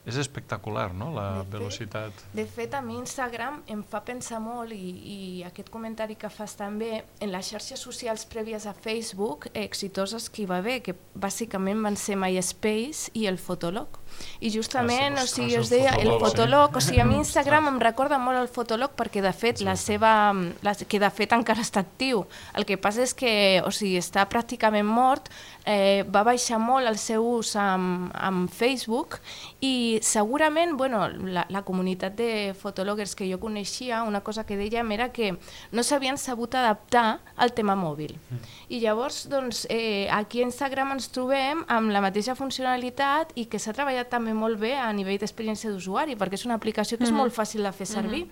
Speaker 2: és espectacular, no? La velocitat.
Speaker 5: De fet, a mi Instagram em fa pensar molt, i aquest comentari que fas també, en les xarxes socials prèvies a Facebook, exitoses que hi va haver, que bàsicament van ser MySpace i el Fotolog. I justament, o sigui, us deia, el Fotolog, o sigui, a mi Instagram em recorda molt el Fotolog perquè de fet que de fet encara està actiu. El que passa és que, o sigui, està pràcticament mort, va baixar molt el seu ús amb Facebook i segurament, bueno, la comunitat de fotòloguers que jo coneixia, una cosa que dèiem era que no s'havien sabut adaptar al tema mòbil. I llavors, doncs, aquí a Instagram ens trobem amb la mateixa funcionalitat i que s'ha treballat també molt bé a nivell d'experiència d'usuari, perquè és una aplicació que és molt fàcil de fer servir.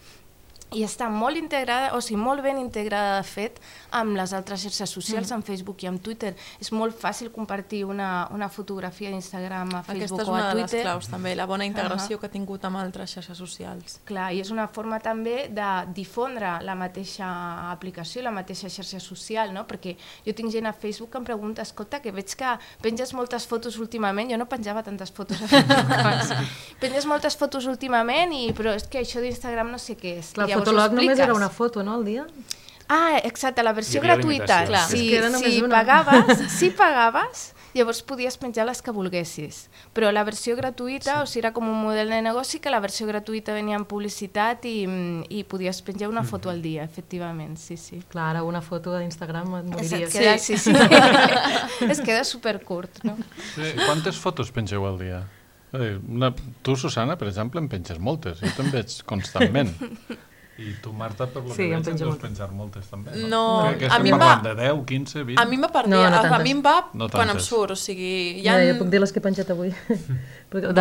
Speaker 5: i està molt integrada, o sigui, molt ben integrada de fet amb les altres xarxes socials, amb Facebook i amb Twitter. És molt fàcil compartir una fotografia d'Instagram a Facebook o a Twitter.
Speaker 3: Aquesta és una de les claus també, la bona integració que ha tingut amb altres xarxes socials.
Speaker 5: Clar, i és una forma també de difondre la mateixa aplicació, la mateixa xarxa social, no? Perquè jo tinc gent a Facebook que em pregunta, escolta, que veig que penges moltes fotos últimament, jo no penjava tantes fotos a Facebook, penges moltes fotos últimament, però és que això d'Instagram no sé què és.
Speaker 6: Clar, el fotolog només era una foto, no, al dia?
Speaker 5: Ah, exacte, la versió gratuïta. Si pagaves, llavors podies penjar les que volguessis. Però la versió gratuïta, o sigui, era com un model de negoci que la versió gratuïta venia amb publicitat i podies penjar una foto al dia, efectivament, sí.
Speaker 6: Clar, ara una foto d'Instagram et moriries.
Speaker 5: Sí. Es queda supercurt, no?
Speaker 2: Sí, quantes fotos pengeu al dia? Tu, Susana, per exemple, en penges moltes. Jo te'n veig constantment. I tu, Marta, per lo que veig, en deus penjar moltes també, no?
Speaker 3: No,
Speaker 2: a mi em va... de 10, 15, 20...
Speaker 3: A mi em va per dia, a mi em va quan em surt, o sigui...
Speaker 6: Jo puc dir les que he penjat avui.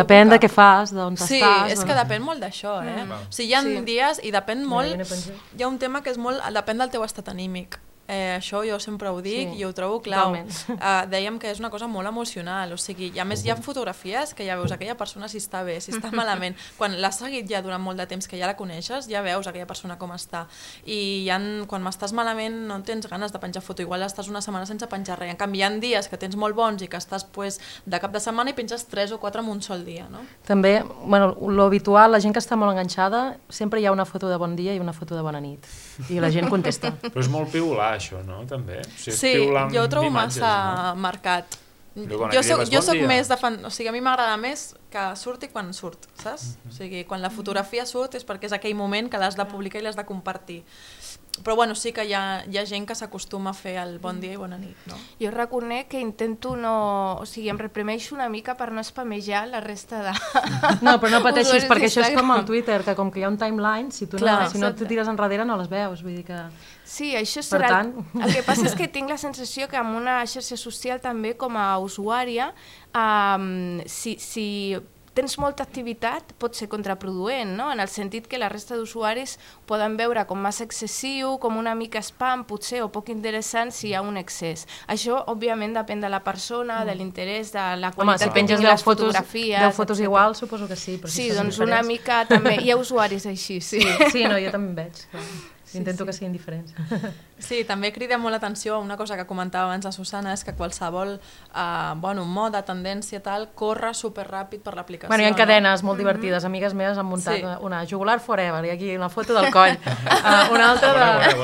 Speaker 6: Depèn de què fas, d'on estàs...
Speaker 3: Sí, és que depèn molt d'això, eh? O sigui, hi ha dies i depèn molt... Hi ha un tema que és molt... Depèn del teu estat anímic. Això jo sempre ho dic i ho trobo clau. Dèiem que és una cosa molt emocional, o sigui, i a més hi ha fotografies que ja veus aquella persona si està bé, si està malament. Quan l'has seguit ja durant molt de temps, que ja la coneixes, ja veus aquella persona com està. I quan m'estàs malament no tens ganes de penjar foto, igual estàs una setmana sense penjar res. En canvi, hi ha dies que tens molt bons i que estàs de cap de setmana i penges 3 o 4 en un sol dia, no?
Speaker 6: També, lo habitual, la gent que està molt enganxada, sempre hi ha una foto de bon dia i una foto de bona nit. I la gent contesta.
Speaker 4: Però és molt piular, això, no? També.
Speaker 3: Sí, jo ho trobo massa marcat. Jo soc més de fan... O sigui, a mi m'agrada més que surti quan surt, saps? O sigui, quan la fotografia surt és perquè és aquell moment que l'has de publicar i l'has de compartir. Però bueno, sí que hi ha gent que s'acostuma a fer el bon dia i bona nit, no?
Speaker 5: Jo reconec que intento no... O sigui, em reprimeixo una mica per no spamejar la resta de...
Speaker 6: No, però no pateixis, perquè això és com el Twitter, que com que hi ha un timeline, si no et tires enrere no les veus, vull dir que...
Speaker 5: Sí, això serà... El que passa és que tinc la sensació que amb una xarxa social també com a usuària, si tens molta activitat pot ser contraproduent, no? En el sentit que la resta d'usuaris poden veure com massa excessiu, com una mica spam, potser, o poc interessant si hi ha un excés. Això, òbviament, depèn de la persona, de l'interès, de la qualitat que tinguin les fotografies...
Speaker 6: 10 fotos igual, suposo que sí.
Speaker 5: Sí, doncs una mica també... Hi ha usuaris així, sí.
Speaker 6: Sí, no, jo també en veig. Intento que siguin diferents.
Speaker 3: Sí, també crida molt l'atenció a una cosa que comentava abans la Susana, és que qualsevol moda, tendència, tal, corre superràpid per l'aplicació.
Speaker 6: Hi ha cadenes molt divertides. Amigues meves han muntat una Jugular Forever, i aquí una foto del coll. Una altra de...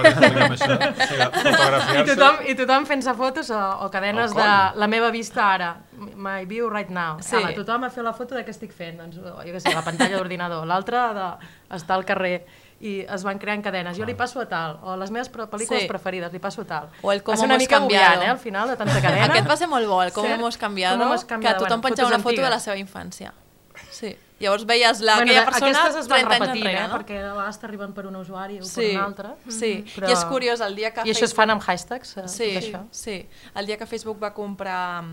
Speaker 6: I tothom fent-se fotos o cadenes de la meva vista ara. My view right now. Tothom ha fet la foto de què estic fent. Jo què sé, la pantalla d'ordinador. L'altra d'estar al carrer. I es van creant cadenes. Jo li passo a tal, o les meves pel·lícules preferides, li passo a tal.
Speaker 3: O el com hemos cambiado.
Speaker 6: Al final, de tanta cadena.
Speaker 3: Aquest va ser molt bo, el com hemos cambiado, que tothom penjava una foto de la seva infància. Sí. Llavors veies aquella persona 30 anys enrere, no?
Speaker 6: Perquè a vegades t'arriben per un usuari o per un altre.
Speaker 3: Sí, i és curiós, el dia que
Speaker 6: I això es fan amb hashtags?
Speaker 3: Sí, el dia que Facebook va comprar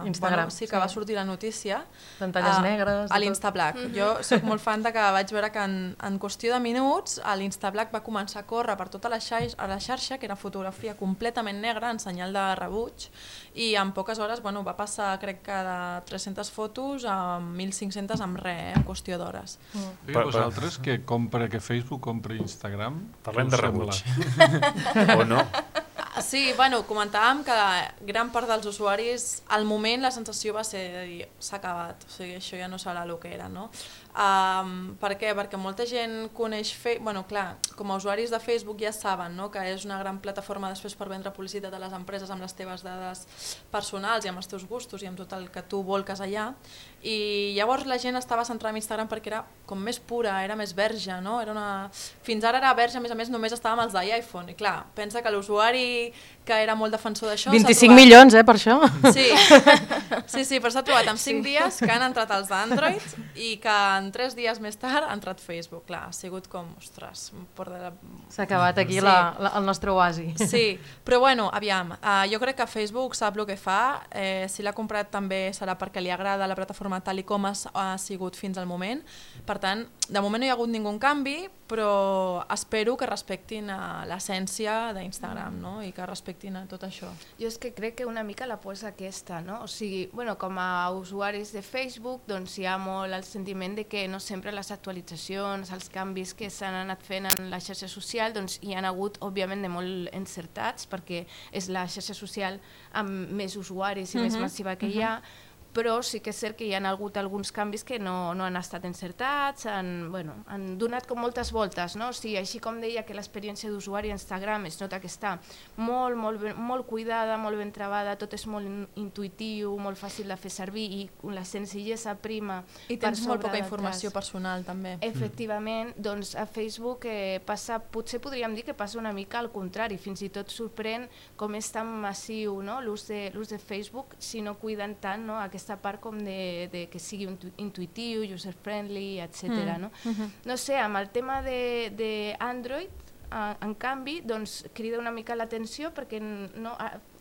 Speaker 6: Instagram,
Speaker 3: sí que va sortir la notícia
Speaker 6: pantalles negres
Speaker 3: a l'Instablack. Jo soc molt fan de que vaig veure que en qüestió de minuts l'Instablack va començar a córrer per tota la xarxa, que era fotografia completament negra en senyal de rebuig, i en poques hores va passar, crec que de 300 fotos a 1.500 amb res, en qüestió d'hores.
Speaker 2: Vosaltres que Facebook compra Instagram...
Speaker 4: Parlem de rebuig. O no?
Speaker 3: Sí, comentàvem que gran part dels usuaris, al moment la sensació va ser de dir, s'ha acabat, o sigui, això ja no serà el que era, no? Per què? Perquè molta gent coneix clar, com a usuaris de Facebook ja saben, no? Que és una gran plataforma després per vendre publicitat a les empreses amb les teves dades personals i amb els teus gustos i amb tot el que tu volques allà, i llavors la gent estava centrada en Instagram perquè era com més pura, era més verge, no? Fins ara era verge, a més només estava amb els d'iPhone, i clar, pensa que l'usuari que era molt defensor d'això.
Speaker 6: 25 milions, per això.
Speaker 3: Sí, però s'ha trobat en 5 dies que han entrat els d'Android i que en 3 dies més tard ha entrat Facebook. Clar, ha sigut com, ostres...
Speaker 6: S'ha acabat aquí el nostre oasi.
Speaker 3: Sí, però bueno, aviam, jo crec que Facebook sap el que fa, si l'ha comprat també serà perquè li agrada la plataforma tal i com ha sigut fins al moment. Per tant, de moment no hi ha hagut ningú canvi, però espero que respectin l'essència d'Instagram, no? I que respectin a tot això.
Speaker 5: Jo és que crec que una mica la por és aquesta, no? O sigui, bueno, com a usuaris de Facebook, doncs hi ha molt el sentiment de que no sempre les actualitzacions, els canvis que s'han anat fent en la xarxa social, doncs hi han hagut, òbviament, de molt encertats, perquè és la xarxa social amb més usuaris i més massiva que hi ha, però sí que és cert que hi ha hagut alguns canvis que no han estat encertats, han donat com moltes voltes, no? O sigui, així com deia que l'experiència d'usuari a Instagram es nota que està molt cuidada, molt ben trebada, tot és molt intuïtiu, molt fàcil de fer servir i la senzillesa prima.
Speaker 3: I tens molt poca informació personal també.
Speaker 5: Efectivament, doncs a Facebook potser podríem dir que passa una mica al contrari, fins i tot sorprèn com és tan massiu l'ús de Facebook si no cuiden tant aquesta part com de que sigui intuïtiu, user-friendly, etc. No sé, amb el tema d'Android, en canvi, doncs crida una mica l'atenció perquè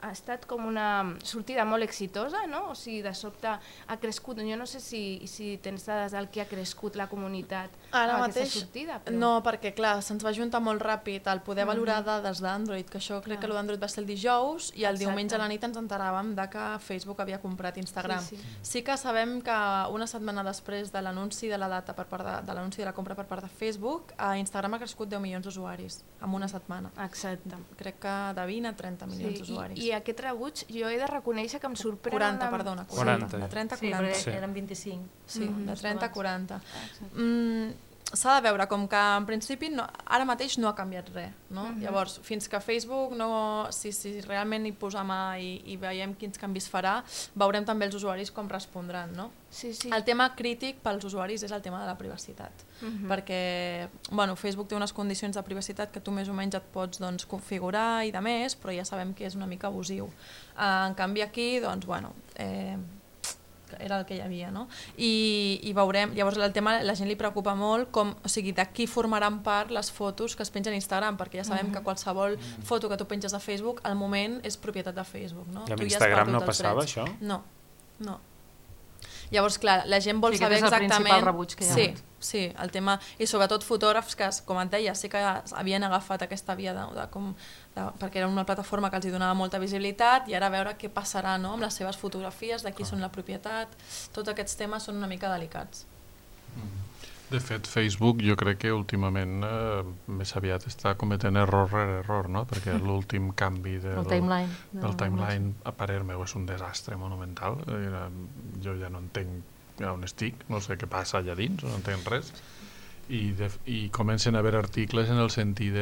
Speaker 5: ha estat com una sortida molt exitosa, no? O sigui, de sobte ha crescut, jo no sé si tens dades del que ha crescut la comunitat amb aquesta sortida.
Speaker 3: No, perquè clar, se'ns va juntar molt ràpid el poder valorar dades d'Android, que això crec que l'Android va ser el dijous i el diumenge a la nit ens enteràvem que Facebook havia comprat Instagram. Sí que sabem que una setmana després de l'anunci de la data de l'anunci de la compra per part de Facebook, Instagram ha crescut 10 milions d'usuaris en una setmana.
Speaker 5: Exacte.
Speaker 3: Crec que de 20 a 30 milions d'usuaris.
Speaker 5: I aquest rebuig jo he de reconèixer que em sorprèn...
Speaker 3: 40, perdona.
Speaker 4: 40.
Speaker 3: De 30 a 40.
Speaker 6: Sí, però eren 25.
Speaker 3: Sí, de 30 a 40. S'ha de veure, com que en principi ara mateix no ha canviat res. Llavors, fins que Facebook, si realment hi posa mà i veiem quins canvis farà, veurem també els usuaris com respondran. El tema crític pels usuaris és el tema de la privacitat, perquè Facebook té unes condicions de privacitat que tu més o menys et pots configurar i de més, però ja sabem que és una mica abusiu. En canvi aquí, era el que hi havia, i veurem, llavors el tema, la gent li preocupa molt de qui formaran part les fotos que es pengen a Instagram, perquè ja sabem que qualsevol foto que tu penges a Facebook al moment és propietat de Facebook.
Speaker 4: I amb Instagram no passava això?
Speaker 3: No. Llavors, clar, la gent vol saber exactament...
Speaker 6: És el principal rebuig que hi ha.
Speaker 3: Sí, el tema, i sobretot fotògrafs que, com et deia, sí que havien agafat aquesta via perquè era una plataforma que els donava molta visibilitat i ara a veure què passarà amb les seves fotografies, de qui són la propietat, tots aquests temes són una mica delicats.
Speaker 2: De fet, Facebook jo crec que últimament més aviat està cometent error rere error, perquè l'últim canvi del timeline a parer meu és un desastre monumental. Jo ja no entenc on estic, no sé què passa allà dins, no entenc res. I comencen a haver articles en el sentit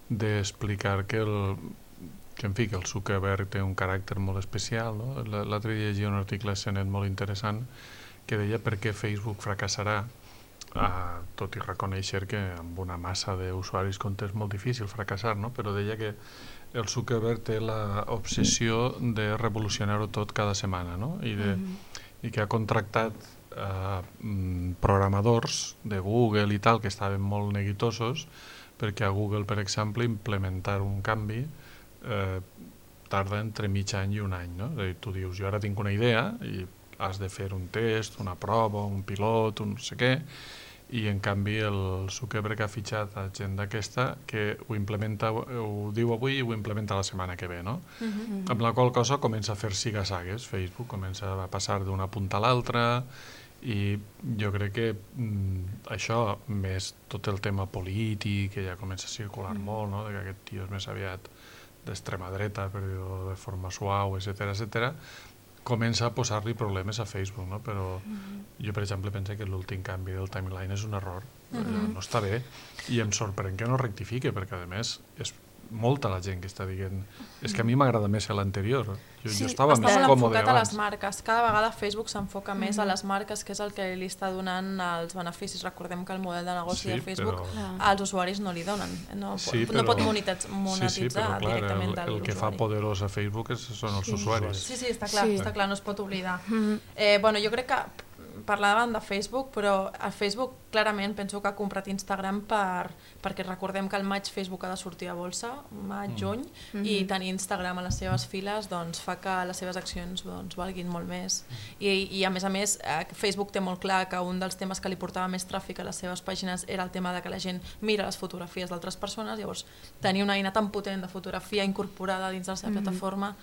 Speaker 2: d'explicar que el Zuckerberg té un caràcter molt especial. L'altre dia llegia un article a CNET molt interessant que deia per què Facebook fracassarà, tot i reconèixer que amb una massa d'usuaris és molt difícil fracassar, però deia que el Zuckerberg té l'obsessió de revolucionar-ho tot cada setmana, i que ha contractat programadors de Google i tal que estaven molt neguitosos perquè a Google, per exemple, implementar un canvi tarda entre mig any i un any. Tu dius, jo ara tinc una idea i has de fer un test, una prova, un pilot, un no sé què, i en canvi el Zuckerberg ha fitxat a gent d'aquesta que ho implementa, ho diu avui i ho implementa la setmana que ve, amb la qual cosa comença a fer siga-sagues. Facebook comença a passar d'una punta a l'altra i jo crec que això, més tot el tema polític, que ja comença a circular molt, que aquest tio és més aviat d'extrema dreta, per dir-ho de forma suau, etcètera, comença a posar-li problemes a Facebook, però jo, per exemple, penso que l'últim canvi del timeline és un error, no està bé, i em sorprèn que no rectifique, perquè, a més, molta la gent que està dient és que a mi m'agrada més l'anterior. Jo estava
Speaker 3: està
Speaker 2: més
Speaker 3: molt
Speaker 2: còmode
Speaker 3: enfocat a les
Speaker 2: abans.
Speaker 3: marques. Cada vegada Facebook s'enfoca més a les marques, que és el que li està donant els beneficis. Recordem que el model de negoci de Facebook als usuaris no li donen. No pot monetitzar directament de l'usuari.
Speaker 2: El que fa poderós a Facebook són els usuaris.
Speaker 3: Sí, està clar, no es pot oblidar. Jo crec que parlàvem de Facebook, però a Facebook clarament penso que ha comprat Instagram perquè recordem que al maig Facebook ha de sortir a bolsa, maig-juny, i tenir Instagram a les seves files fa que les seves accions valguin molt més. I a més, Facebook té molt clar que un dels temes que li portava més tràfic a les seves pàgines era el tema de que la gent mira les fotografies d'altres persones, llavors tenir una eina tan potent de fotografia incorporada dins de la seva plataforma.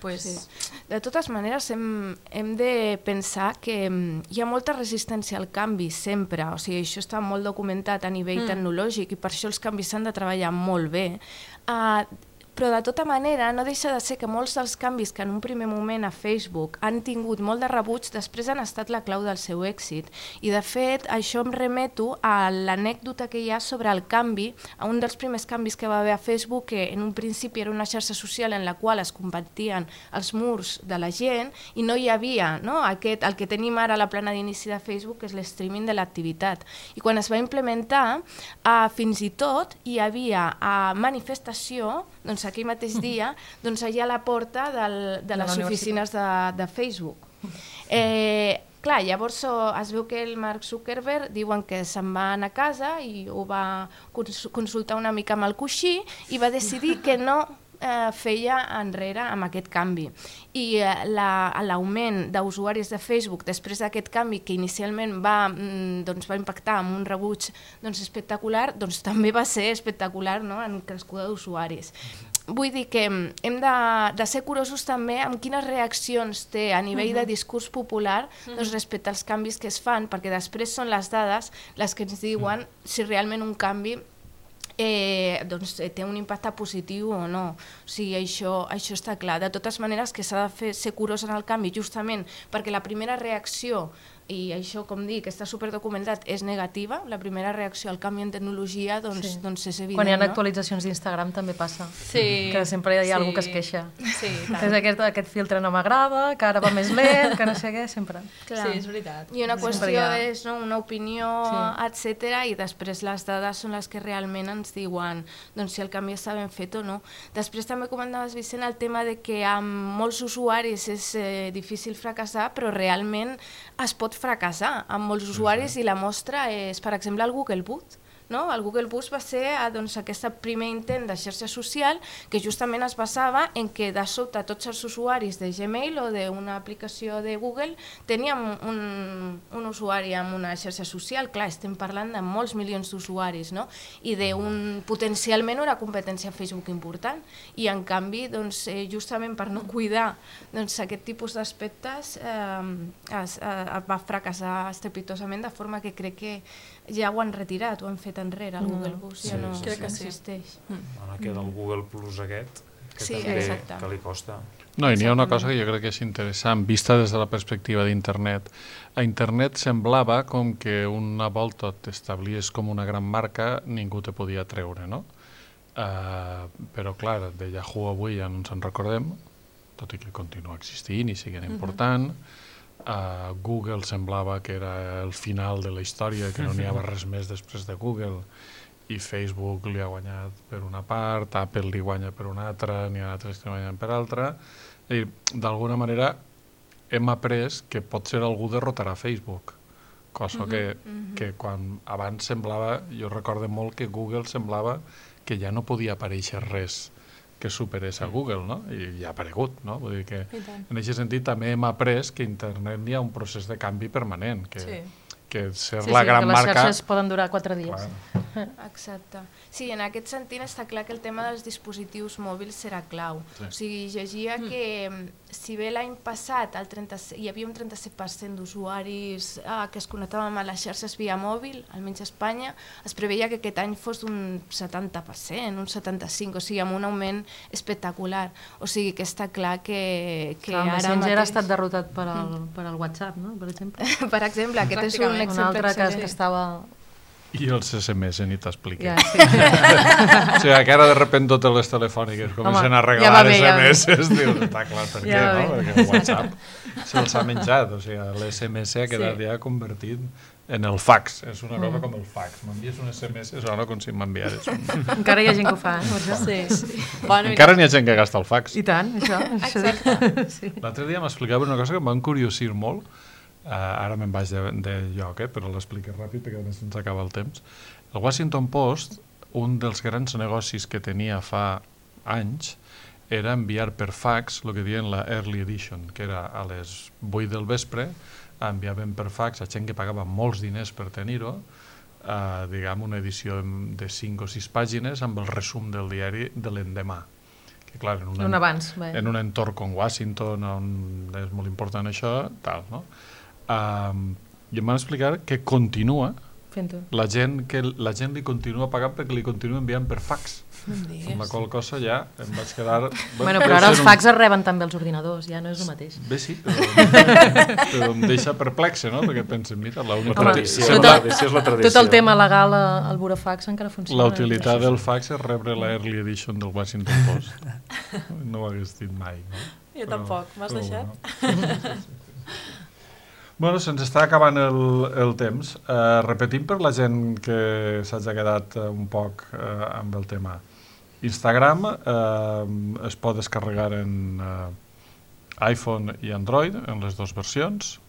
Speaker 5: De totes maneres, hem de pensar que hi ha molta resistència al canvi sempre, o sigui, això està molt documentat a nivell tecnològic i per això els canvis s'han de treballar molt bé. Però de tota manera no deixa de ser que molts dels canvis que en un primer moment a Facebook han tingut molt de rebuig després han estat la clau del seu èxit. I de fet això em remeto a l'anècdota que hi ha sobre el canvi, a un dels primers canvis que va haver a Facebook, que en un principi era una xarxa social en la qual es compartien els murs de la gent i no hi havia el que tenim ara a la plana d'inici de Facebook, que és l'streaming de l'activitat. I quan es va implementar, fins i tot hi havia manifestació, aquell mateix dia, allà a la porta de les oficines de Facebook. Clar, llavors es veu que el Mark Zuckerberg diuen que se'n va anar a casa i ho va consultar una mica amb el coixí i va decidir que no feia enrere amb aquest canvi. I l'augment d'usuaris de Facebook després d'aquest canvi, que inicialment va impactar amb un rebuig espectacular, també va ser espectacular en crescuda d'usuaris. Vull dir que hem de ser curosos també amb quines reaccions té a nivell de discurs popular respecte als canvis que es fan, perquè després són les dades les que ens diuen si realment un canvi té un impacte positiu o no. O sigui, això està clar. De totes maneres, que s'ha de ser curós en el canvi, justament perquè la primera reacció, i això, com dic, està superdocumentat, és negativa. La primera reacció al canvi en tecnologia és evident.
Speaker 6: Quan hi ha actualitzacions d'Instagram també passa, que sempre hi ha algú que es queixa. Aquest filtre no m'agrada, que ara va més lent, que no sé què, sempre.
Speaker 3: Sí, és veritat.
Speaker 5: I una qüestió és una opinió, etc. I després les dades són les que realment ens diuen si el canvi està ben fet o no. Després també comentaves, Vicent, el tema de que amb molts usuaris és difícil fracassar, però realment es pot fracassar amb molts usuaris i la mostra és, per exemple, el Google Boost. El Google Boost va ser aquest primer intent de xarxa social que justament es basava en que de sobte tots els usuaris de Gmail o d'una aplicació de Google teníem un usuari amb una xarxa social. Clar, estem parlant de molts milions d'usuaris i potencialment una competència Facebook important. I en canvi, justament per no cuidar aquest tipus d'aspectes va fracassar estrepitosament, de forma que crec que ja ho han retirat, ho han fet enrere, el Google Boost ja no existeix.
Speaker 4: Ara queda el Google Plus aquest, que li costa.
Speaker 2: No, i n'hi ha una cosa que jo crec que és interessant, vista des de la perspectiva d'Internet. A Internet semblava com que una volta t'establies com una gran marca, ningú te podia treure, no? Però, clar, de Yahoo avui ja no ens en recordem, tot i que continua existint i siguent important. Google semblava que era el final de la història, que no n'hi havia res més després de Google, i Facebook li ha guanyat per una part, Apple li guanya per una altra, n'hi ha altres que li guanyen per altra. D'alguna manera hem après que potser algú derrotarà Facebook, cosa que quan abans semblava, jo recordo molt que Google semblava que ja no podia aparèixer res que superés a Google, no? I ja ha aparegut, no? Vull dir que en aquest sentit també hem après que a Internet hi ha un procés de canvi permanent, que ser la gran marca...
Speaker 6: que les xarxes poden durar 4 dies.
Speaker 5: Exacte. Sí, en aquest sentit està clar que el tema dels dispositius mòbils serà clau. O sigui, llegia que si bé l'any passat hi havia un 37% d'usuaris que es connectaven a les xarxes via mòbil, almenys a Espanya, es preveia que aquest any fos d'un 70%, un 75%, o sigui, amb un augment espectacular. O sigui, que està clar que ara mateix...
Speaker 6: Messenger ha estat derrotat per al WhatsApp, no? Per exemple.
Speaker 5: Per exemple, aquest és un exemple
Speaker 6: altre que estava
Speaker 2: I els SMS ni t'expliquen.
Speaker 6: Ja, sí.
Speaker 2: O sigui, que ara de repente totes les telefòniques comencen a regalar SMS, dius, està clar per què, no? Perquè el WhatsApp se'ls ha menjat, o sigui, l'SMS ha quedat ja convertit en el fax, és una cosa com el fax. M'envies un SMS, sona com si m'enviares un...
Speaker 6: Encara hi ha gent que ho fa, eh?
Speaker 3: Sí. Bueno,
Speaker 2: encara n'hi ha gent que gasta el fax.
Speaker 6: I tant, això.
Speaker 5: Exacte.
Speaker 2: L'altre dia m'explicava una cosa que em va encuriosir molt. Ara me'n vaig de lloc, però l'explico ràpid perquè només ens acaba el temps. El Washington Post, un dels grans negocis que tenia fa anys, era enviar per fax el que diuen la Early Edition, que era a les 8 del vespre, enviaven per fax a gent que pagava molts diners per tenir-ho, diguem una edició de 5 o 6 pàgines amb el resum del diari de l'endemà. Que clar, en un entorn com Washington, on és molt important això, tal, no? I em van explicar que continua la gent li continua pagant perquè li continua enviant per fax, amb la qual cosa ja em vaig quedar...
Speaker 6: Bueno, però ara els fax es reben també els ordinadors, ja no és el mateix.
Speaker 2: Bé, sí, però em deixa perplexe, no? Perquè pensen, mira,
Speaker 6: tot el tema legal al burofax encara funciona.
Speaker 2: La utilitat del fax és rebre la Early Edition del Washington Post. No ho hagués dit mai, no?
Speaker 3: Jo tampoc, m'has deixat?
Speaker 2: Bueno, se'ns està acabant el temps. Repetim per la gent que s'hagi quedat un poc amb el tema. Instagram es pot descarregar en iPhone i Android, en les dues versions.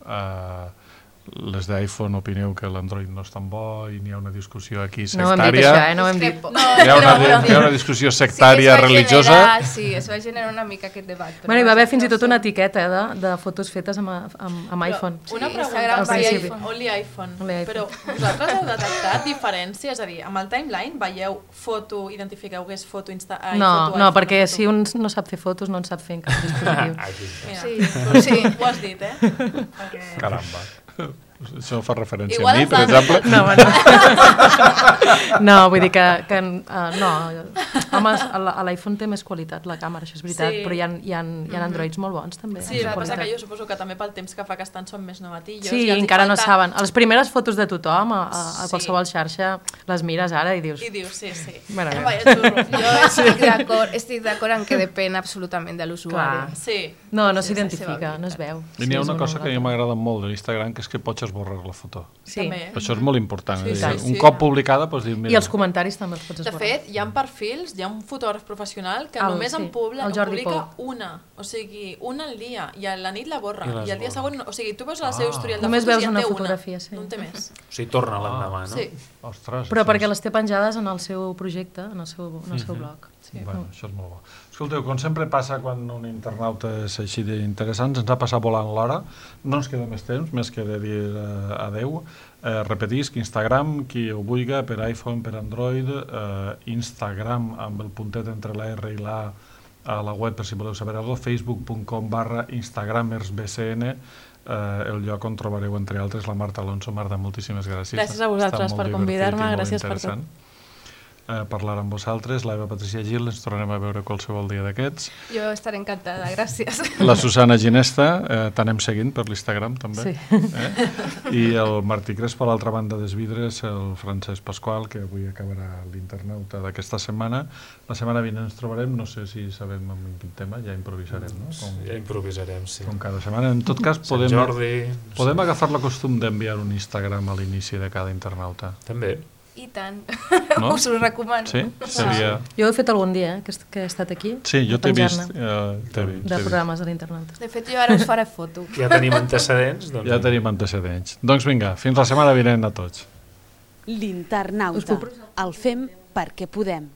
Speaker 2: Les d'iPhone opineu que l'Android no és tan bo i n'hi ha una discussió aquí sectària.
Speaker 6: No hem dit això, no hem dit.
Speaker 2: Hi ha una discussió sectària religiosa.
Speaker 5: Sí, es va generar una mica aquest debat.
Speaker 6: Bueno, hi va haver fins i tot una etiqueta de fotos fetes amb iPhone.
Speaker 3: Una pregunta, only iPhone. Però vosaltres heu detectat diferència? És a dir, amb el timeline veieu foto, identifiqueu que és foto iPhone?
Speaker 6: No, perquè si un no sap fer fotos no en sap fer en cap dispositiu.
Speaker 3: Sí, ho has dit,
Speaker 2: Caramba. Això fa referència a mi, per exemple?
Speaker 6: No, vull dir que no, home, l'iPhone té més qualitat la càmera, això és veritat, però hi ha Androids molt bons també.
Speaker 3: Sí, el que passa que jo suposo que també pel temps que fa que estan són més novatillos.
Speaker 6: Sí, encara no saben. Les primeres fotos de tothom a qualsevol xarxa les mires ara i dius...
Speaker 3: sí.
Speaker 5: Jo estic d'acord en que depèn absolutament de l'usuari.
Speaker 6: No s'identifica, no es veu.
Speaker 2: I n'hi ha una cosa que a mi m'agrada molt de l'Instagram, que és que pots esborrar la foto.
Speaker 6: Sí.
Speaker 2: Això és molt important. Un cop publicada pots dir...
Speaker 6: I els comentaris també els pots esborrar.
Speaker 3: De fet, hi ha perfils, hi ha un fotògraf professional que només en publica una, o sigui, una al dia, i a la nit la borra, i al dia següent, o sigui, tu veus el seu historial de fotos i en té una, no en té més.
Speaker 4: O sigui, torna l'endemà, no?
Speaker 3: Sí.
Speaker 6: Però perquè les té penjades en el seu projecte, en el seu blog.
Speaker 2: Bueno, això és molt bo. Escolteu, com sempre passa quan un internauta és així d'interessant, ens ha passat volant l'hora, no ens queda més temps, més que de dir adeu. Repetisc, Instagram, qui ho vulgui, per iPhone, per Android, Instagram amb el puntet entre la R i la A la web, per si voleu saber alguna cosa, facebook.com/instagramersbcn, el lloc on trobareu, entre altres, la Marta Alonso. Marta, moltíssimes gràcies.
Speaker 3: Gràcies a vosaltres per convidar-me, gràcies per tot.
Speaker 2: Parlar amb vosaltres, l'Eva Patricia Gil, ens tornarem a veure qualsevol dia d'aquests.
Speaker 5: Jo estaré encantada, gràcies.
Speaker 2: La Susana Ginesta, t'anem seguint per l'Instagram també. I el Martí Crespo, a l'altra banda dels vidres, el Francesc Pasqual, que avui acabarà l'internauta d'aquesta setmana. La setmana vinent ens trobarem, no sé si sabem en quin tema, ja improvisarem, no?
Speaker 4: Ja improvisarem, sí.
Speaker 2: Com cada setmana. En tot cas, podem agafar la costum d'enviar un Instagram a l'inici de cada internauta.
Speaker 4: També.
Speaker 5: I tant,
Speaker 2: no?
Speaker 5: us ho recomano.
Speaker 2: Sí? Seria...
Speaker 6: Jo ho he fet algun dia, que he estat aquí.
Speaker 2: Sí, jo t'he vist.
Speaker 6: De programes de l'internet.
Speaker 5: De fet, jo ara us faré foto.
Speaker 4: Ja tenim antecedents.
Speaker 2: Ja tenim antecedents. Doncs vinga, fins la setmana vinent a tots.
Speaker 1: L'internauta. El fem perquè podem.